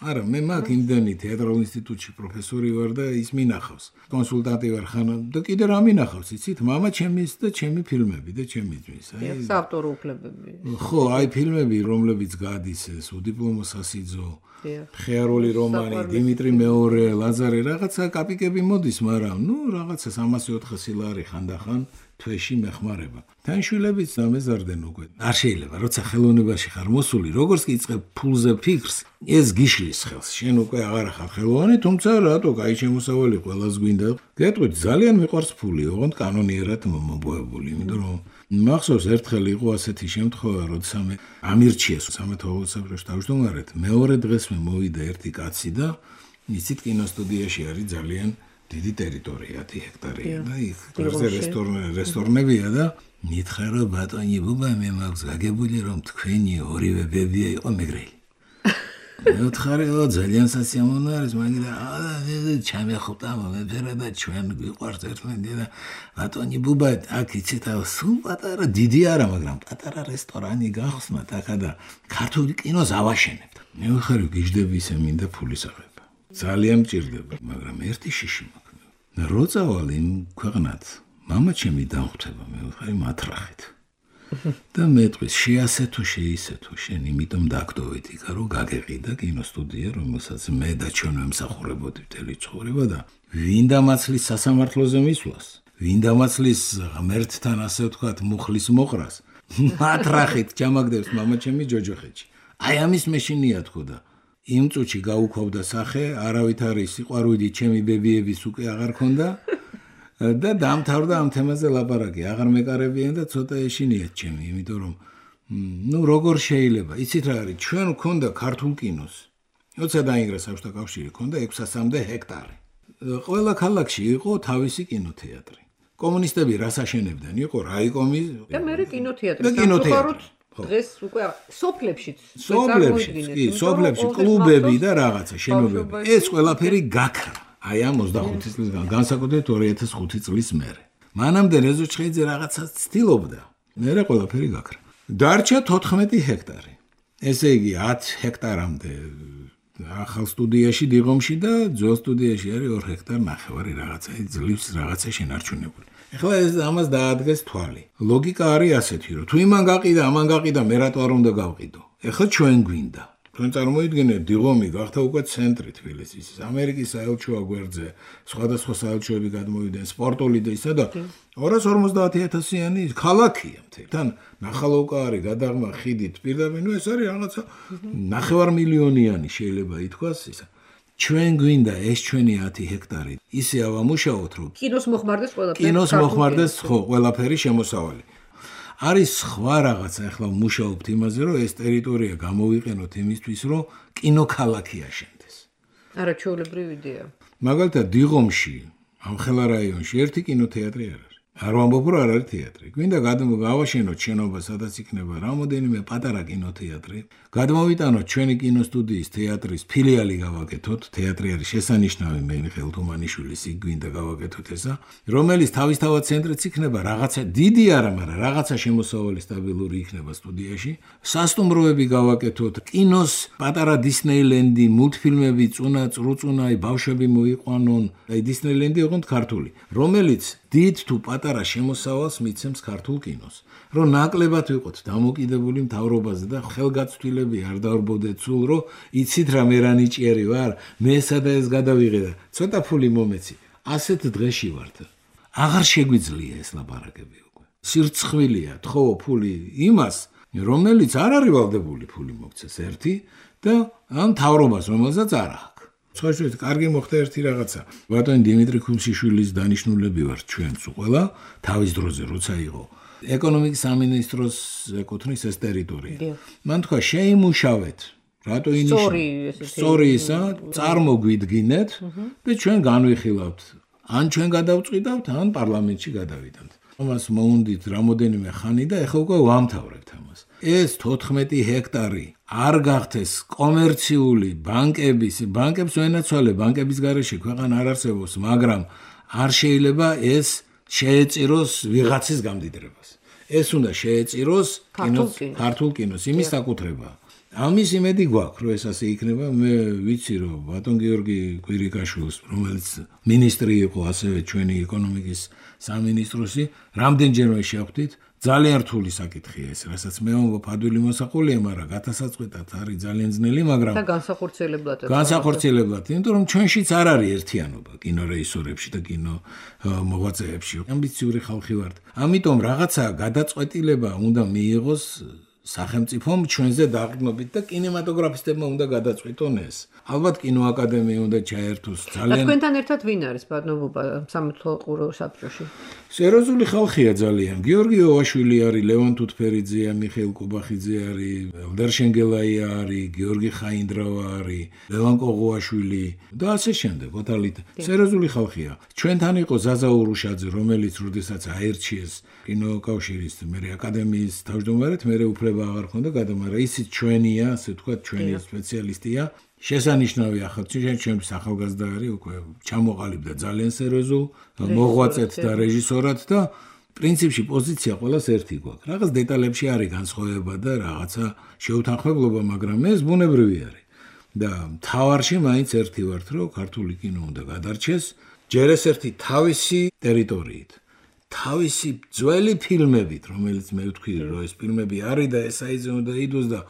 არა, მე მაქვს იმდენი თეატრალურ ინსტიტუტში პროფესორი ვარ და ის მინახავს. კონსულტანტი ვარ ხან და კიდე რა მინახავს, იცით, მამა ჩემის და ჩემი ფილმები და ჩემი ძმის. აი საავტორო უფლებები. ხო, აი ფილმები, რომლებიც გადის ეს უდიპლომო სასიძო, ხეარული რომანი, დიმიტრი მეორე, ლაზარე, რაღაცა კაპიკები მოდის, მაგრამ ნუ რაღაცა 300-400 ლარი ხანდახან თვეში მეხმარება. თან შვილებიც დამეზარდნენ უკვე. არ შეიძლება, როცა ხელოვნებაში ხარ მოსული, როგორც კი იწყებ ფულზე ფიქრს, ეს გიშლის ხელს. შენ უკვე აღარ ხარ ხელოვანი, თუმცა რატო, კაი შემოსავალი ყველას გვინდა. გეტყვით, ძალიან მიყვარს ფული, ოღონდ კანონიერად მომბოებული, იმიტომ რომ მახსოვს ერთხელ იყო ასეთი შემთხვევა, როცა მე ამირჩიეს სამეთვალყურო საბჭოს თავმჯდომარედ, მეორე დღეს მე მოვიდა ერთი კაცი და იცით კინოსტუდიაში არის ძალიან დიდი ტერიტორია, 10 ჰექტარია და იქ რესტორნებია და მითხრა რომ ბატონი ბუბა მე მაქვს გაგებული რომ თქვენი ორივე ბებია იყო მეგრელი. მე ვთხარი რომ ძალიან სასიამოვნო არის, მაგრამ ჩამეხუტა მომეფერა და ჩვენ გვიყვარს ერთმანეთი და ბატონი ბუბა აქ იცით სულ პატარა დიდი არა, მაგრამ პატარა რესტორანი გახსნათ აქა და ქართული კინოს ავაშენებთ. მე ვხარ გიждები ისე მინდა ფულის აღება. ძალიან მჭირდება, მაგრამ ერთი შიში მაქვს. რო წავალ იმ ქვეყნად, მამა ჩემი დამხვდება, მე ვხარ მათრახით. და მეტყვის შეასეთო შეისეთო შენ იმიტომ დაგდოვით იქა რომ გაგეყიდა კინოსტუდია რომელსაც მე და ჩვენ ვემსახურებოდი მთელი ცხოვრება და ვინდამაცლის სასამართლოზე მისვლას ვინდამაცლის ღმერთთან ასე ვთქვათ მუხლის მოყრას მათრახით ჩამაგდებს მამა ჩემი ჯოჯოხეთში აი ამის მეშინია თქო და იმ წუთში გაუქვავდა სახე არავით არის სიყვარული ჩემი ბებიების უკვე აღარ ქონდა და დამთავრდა ამ თემაზე ლაპარაკი. აღარ მეკარებიან და ცოტა ეშინიათ ჩემი, იმიტომ რომ ნუ როგორ შეიძლება, იცით რა არის, ჩვენ ვქონდა ქართულ კინოს. როცა დაინგრა საბჭოთა კავშირი, ქონდა 600-მდე ჰექტარი. ყველა ქალაქში იყო თავისი კინოთეატრი. კომუნისტები რას აშენებდნენ? იყო რაიკომი და მე კინოთეატრი. სამწუხაროდ დღეს უკვე სოფლებშიც, სოფლებში კლუბები და რაღაცა შენობები. ეს ყველაფერი გაქრა. აი ამ 25 წლის განსაკუთრებით 2005 წლის მერე. მანამდე რეზოჩხეიძე რაღაცას ცდილობდა. მერე ყველაფერი გაქრა. დარჩა 14 ჰექტარი. ესე იგი 10 ჰექტარამდე ახალ სტუდიაში დიღომში და ძველ სტუდიაში არის 2 ჰექტარ ნახევარი რაღაცა ძლივს რაღაცა შენარჩუნებული. ეხლა ეს ამას დაადგეს თვალი. ლოგიკა არის ასეთი, რომ თუ იმან გაყიდა, ამან გაყიდა, მე რატო არ უნდა გავყიდო? ეხლა ჩვენ გვინდა. თქვენ წარმოიდგინეთ, დიღომი გახდა უკვე ცენტრი თბილისის, ამერიკის საელჩოა გვერდზე, სხვადასხვა საელჩოები გადმოვიდნენ, სპორტული და ისა და 250,000-იანი ქალაქია მთელი. თან ნახალოვკა არის, გადაღმა ხიდით პირდაპირ, ნუ ეს არის რაღაცა 9 მილიონიანი შეიძლება ითქვას ისა. ჩვენ გვინდა ეს ჩვენი 10 ჰექტარი. ისე ავამუშაოთ, რომ კინოს მოხმარდეს ყველაფერი. კინოს მოხმარდეს ხო, ყველაფერი შემოსავალი. არის სხვა რაღაცა, ახლა მუშაობთ იმაზე, რომ ეს ტერიტორია გამოვიყენოთ იმისთვის, რომ კინოქალაქი აშენდეს. არა, ჩვეულებრივი იდეა. მაგალითად, დიღომში, ამხელა რაიონში ერთი კინოთეატრი არ არის. არ ვამბობ, რომ არ არის თეატრი. გვინდა გავაშენოთ შენობა, სადაც იქნება რამოდენიმე პატარა კინოთეატრი. გადმოვიტანოთ ჩვენი კინოსტუდიის თეატრის ფილიალი გავაკეთოთ. თეატრი არის შესანიშნავი მიხეილ თუმანიშვილის, იქ გვინდა გავაკეთოთ ესა, რომელიც თავისთავად ცენტრიც იქნება, რაღაცა დიდი არა, მაგრამ რაღაცა შემოსავალი სტაბილური იქნება სტუდიაში. სასტუმროები გავაკეთოთ, კინოს პატარა დისნეილენდი, მულტფილმები, წუნა, წრუწუნაი, ბავშვები მოიყვანონ. აი დისნეილენდი ოღონდ ქართული, რომელიც დიდ თუ პატარა შემოსავალს მიცემს ქართულ კინოს. რომ ნაკლებად ვიყოთ დამოკიდებული მთავრობაზე და ხელგაცვლილები არ დავრბოდეთ სულ, რომ იცით რა მე რა ნიჭიერი ვარ, მე სადა ეს გადავიღე და ცოტა ფული მომეცი. ასეთ დღეში ვართ. აღარ შეგვიძლია ეს ლაპარაკები უკვე. სირცხვილია თხოვო ფული იმას, რომელიც არ არის ვალდებული ფული მოგცეს ერთი და ამ მთავრობას რომელსაც არ აქვს. სხვაშორის კარგი მოხდა ერთი რაღაცა. ბატონი დიმიტრი ქუმშიშვილის დანიშნულები ვართ ჩვენც ყველა თავის დროზე როცა იყო ეკონომიკის სამინისტროს ეკუთვნის ეს ტერიტორია. მან თქვა შეიმუშავეთ რატო ინიშნებათ სწორი ისა წარმოგვიდგინეთ და ჩვენ განვიხილავთ ან ჩვენ გადავწყვიტავთ ან პარლამენტში გადავიდანთ. ამას მოუნდით რამოდენიმე ხანი და ეხლა უკვე ვამთავრებთ ამას. ეს 14 ჰექტარი არ გახდეს კომერციული ბანკებს ვენაცვალე ბანკების გარეშე ქვეყანა არ არსებობს, მაგრამ არ შეიძლება ეს შეეწიროს ვიღაცის გამდიდრებას. ეს უნდა შეეწიროს ქართულ კინოს, იმის საკუთრება. ამის იმედი გვაქვს, რომ ეს ასე იქნება. მე ვიცი, რომ ბატონ გიორგი კვირიკაშვილს, რომელიც მინისტრი იყო ასევე ჩვენი ეკონომიკის სამინისტროსი, რამდენჯერმე შევხვდით, ძალიან რთული საკითხია ეს, რასაც მე ვამბობ, ადვილი მოსაყოლია, მაგრამ გათასაწყვეტად არის ძალიან ძნელი, მაგრამ და განსახორციელებლად. განსახორციელებლად, იმიტომ რომ ჩვენშიც არ არის ერთიანობა კინორეჟისორებში და კინო მოღვაწეებში. ამბიციური ხალხი ვართ. ამიტომ რაღაცა გადაწყვეტილება უნდა მიიღოს სახელმწიფომ ჩვენზე დაყრდნობით და კინემატოგრაფისტებმა უნდა გადაწყვიტონ ეს. ალბათ კინოაკადემია უნდა ჩაერთოს ძალიან. თქვენთან ერთად ვინ არის ბატონობა სამეთვალყურო საბჭოში? სერიოზული ხალხია ძალიან. გიორგი ოვაშვილი არის, ლევან თუთფერიძეა, მიხეილ კუბახიძე არის, ელდარ შენგელაია არის, გიორგი ხაინდრავა არის, ლევან კოღუაშვილი და ასე შემდეგ. ოთალით სერიოზული ხალხია. ჩვენთან იყო ზაზა ურუშაძე, რომელიც როდესაც აირჩიეს კინოკავშირის მერე აკადემიის თავმჯდომარედ, მერე უფლება აღარ ჰქონდა გადამარა. ისიც ჩვენია, ასე ვთქვათ, ჩვენი სპეციალისტია. შესანიშნავია ჩვენთვის ახალგაზრდა არის, უკვე ჩამოყალიბდა ძალიან სერიოზულ მოღვაწედ და რეჟისორად და პრინციპში პოზიცია ყველას ერთი გვაქვს. რაღაც დეტალებში არის განსხვავება და რაღაცა შეუთანხმებლობა, მაგრამ ეს ბუნებრივი არის. და მთავარში მაინც ერთი ვართ, რომ ქართული კინო უნდა გადარჩეს ჯერ ეს ერთი თავისი ტერიტორიით. თავისი ძველი ფილმებით, რომელიც მე ვთქვი, რომ ეს ფილმები არის და ესაიზე უნდა იდოს და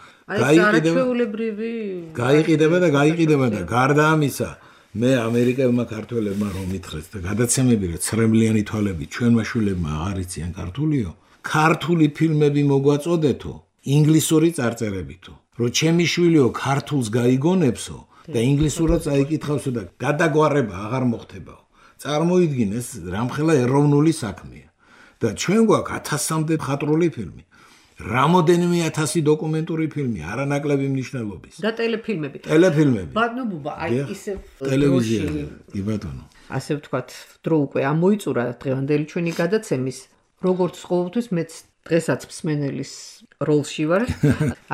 გაიყიდება და გარდა ამისა, მე ამერიკელმა ქართველებმა რომ მითხრეს და გადაცემები რა ცრემლიანი თვალები ჩვენმა შვილებმა აღარ იციან ქართულიო, ქართული ფილმები მოგვაწოდეთო, ინგლისური წარწერებითო, რომ ჩემი შვილიო ქართულს გაიგონებსო და ინგლისურად წაიკითხავსო და გადაგვარება აღარ მოხდებაო. წარმოიდგინეს რამხელა ეროვნული საქმეა და ჩვენ გვაქვს 1000-მდე მხატვრული ფილმი, რამოდენიმე 1000 დოკუმენტური ფილმი, არანაკლები მნიშვნელობის და ტელეფილმები. ბატონობა, აი ისე ტელევიზიაში, კი ბატონო. ასე ვთქვათ, დრო უკვე ამოიწურა დღევანდელი ჩვენი გადაცემის, როგორც ყოველთვის მეც დღესაც მსმენელის როლში ვარ,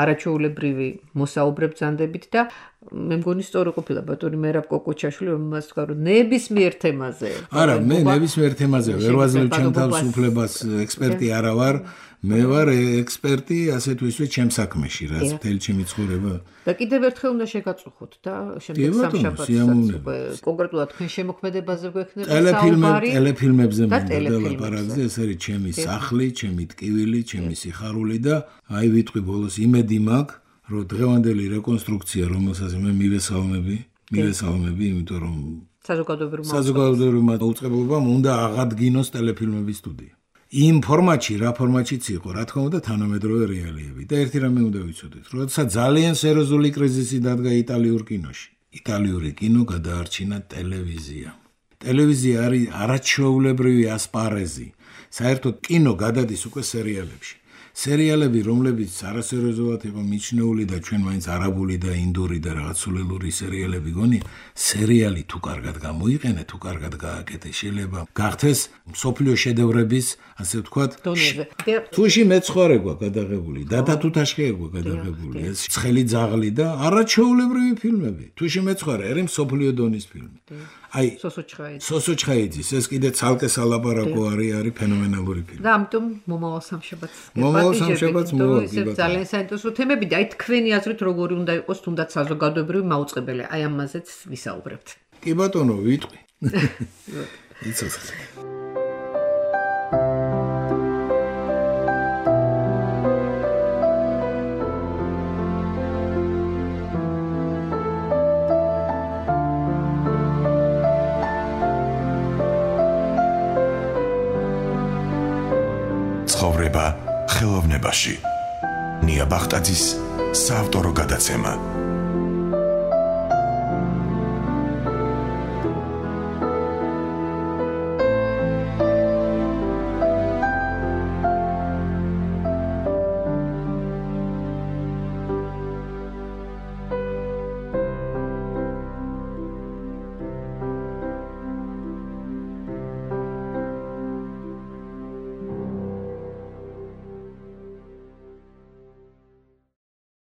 არაჩვეულებრივი მოსაუბრებ ბრძანდებით და მე მგონი სწორი ყოფილა ბატონი მერაბ კოკოჩაშვილი, რომელმაც თქვა, რომ ნებისმიერ თემაზე. არა, მე ნებისმიერ თემაზე ვერ ვაძლევ ჩემ თავს უფლებას, ექსპერტი არა ვარ. მე ვარ ექსპერტი, ასე თუ ისე ჩემ საქმეში, რაც მთელი ჩემი ცხოვრება. და კიდევ ერთხელ უნდა შეგაწუხოთ და შემდეგ სამშაბათს კონკრეტულად თქვენ შემოქმედებაზე გვექნება საუბარი. ტელეფილმებზე მინდა ლაპარაკზე, ეს არის ჩემი სახლი, ჩემი ტკივილი, ჩემი სიხარული და აი ვიტყვი ბოლოს იმედი მაქვს, რომ დღევანდელი რეკონსტრუქცია, რომელსაც მე მივესალმები, იმიტომ რომ საზოგადოებრივმა დაუწყებლობამ უნდა აღადგინოს ტელეფილმების სტუდია. იმ ფორმატში, რა ფორმატშიც იყო, რა თქმა უნდა, თანამედროვე რეალიები და ერთი რამე უნდა ვიცოდეთ, როდესაც ძალიან სერიოზული კრიზისი დადგა იტალიურ კინოში. იტალიური კინო გადაარჩინა ტელევიზიამ. ტელევიზია არის არაჩვეულებრივი ასპარეზი. საერთოდ კინო გადადის უკვე სერიალებში. სერიალები, რომლებიც არასერიოზულად იყო მიჩნეული და ჩვენ მაინც არაბული და ინდური და რაღაც სულელური სერიალები გონი, სერიალი თუ კარგად გამოიყენე, თუ კარგად გააკეთე, შეიძლება გახდეს მსოფლიო შედევრების, ასე ვთქვათ, თუში მეცხვარე გვაქვს გადაღებული, დადა თუთაშხია გვაქვს გადაღებული, ეს ცხელი ძაღლი და არაჩვეულებრივი ფილმები. თუში მეცხვარე არის მსოფლიო დონის ფილმი. აი სოსოჩხაიძის ეს კიდე ცალკე სალაპარაკო არის ფენომენალური ფილმი. და ამიტომ მომავალ სამშაბათს მოვა. ძალიან საინტერესო თემები და აი თქვენი აზრით როგორი უნდა იყოს თუნდაც საზოგადოებრივი მაუწყებელი. აი ამაზეც ვისაუბრებთ. კი ბატონო, ვიტყვი. იცოცხლე. ცხოვრება ხელოვნებაში. ნია ბახტაძის საავტორო გადაცემა.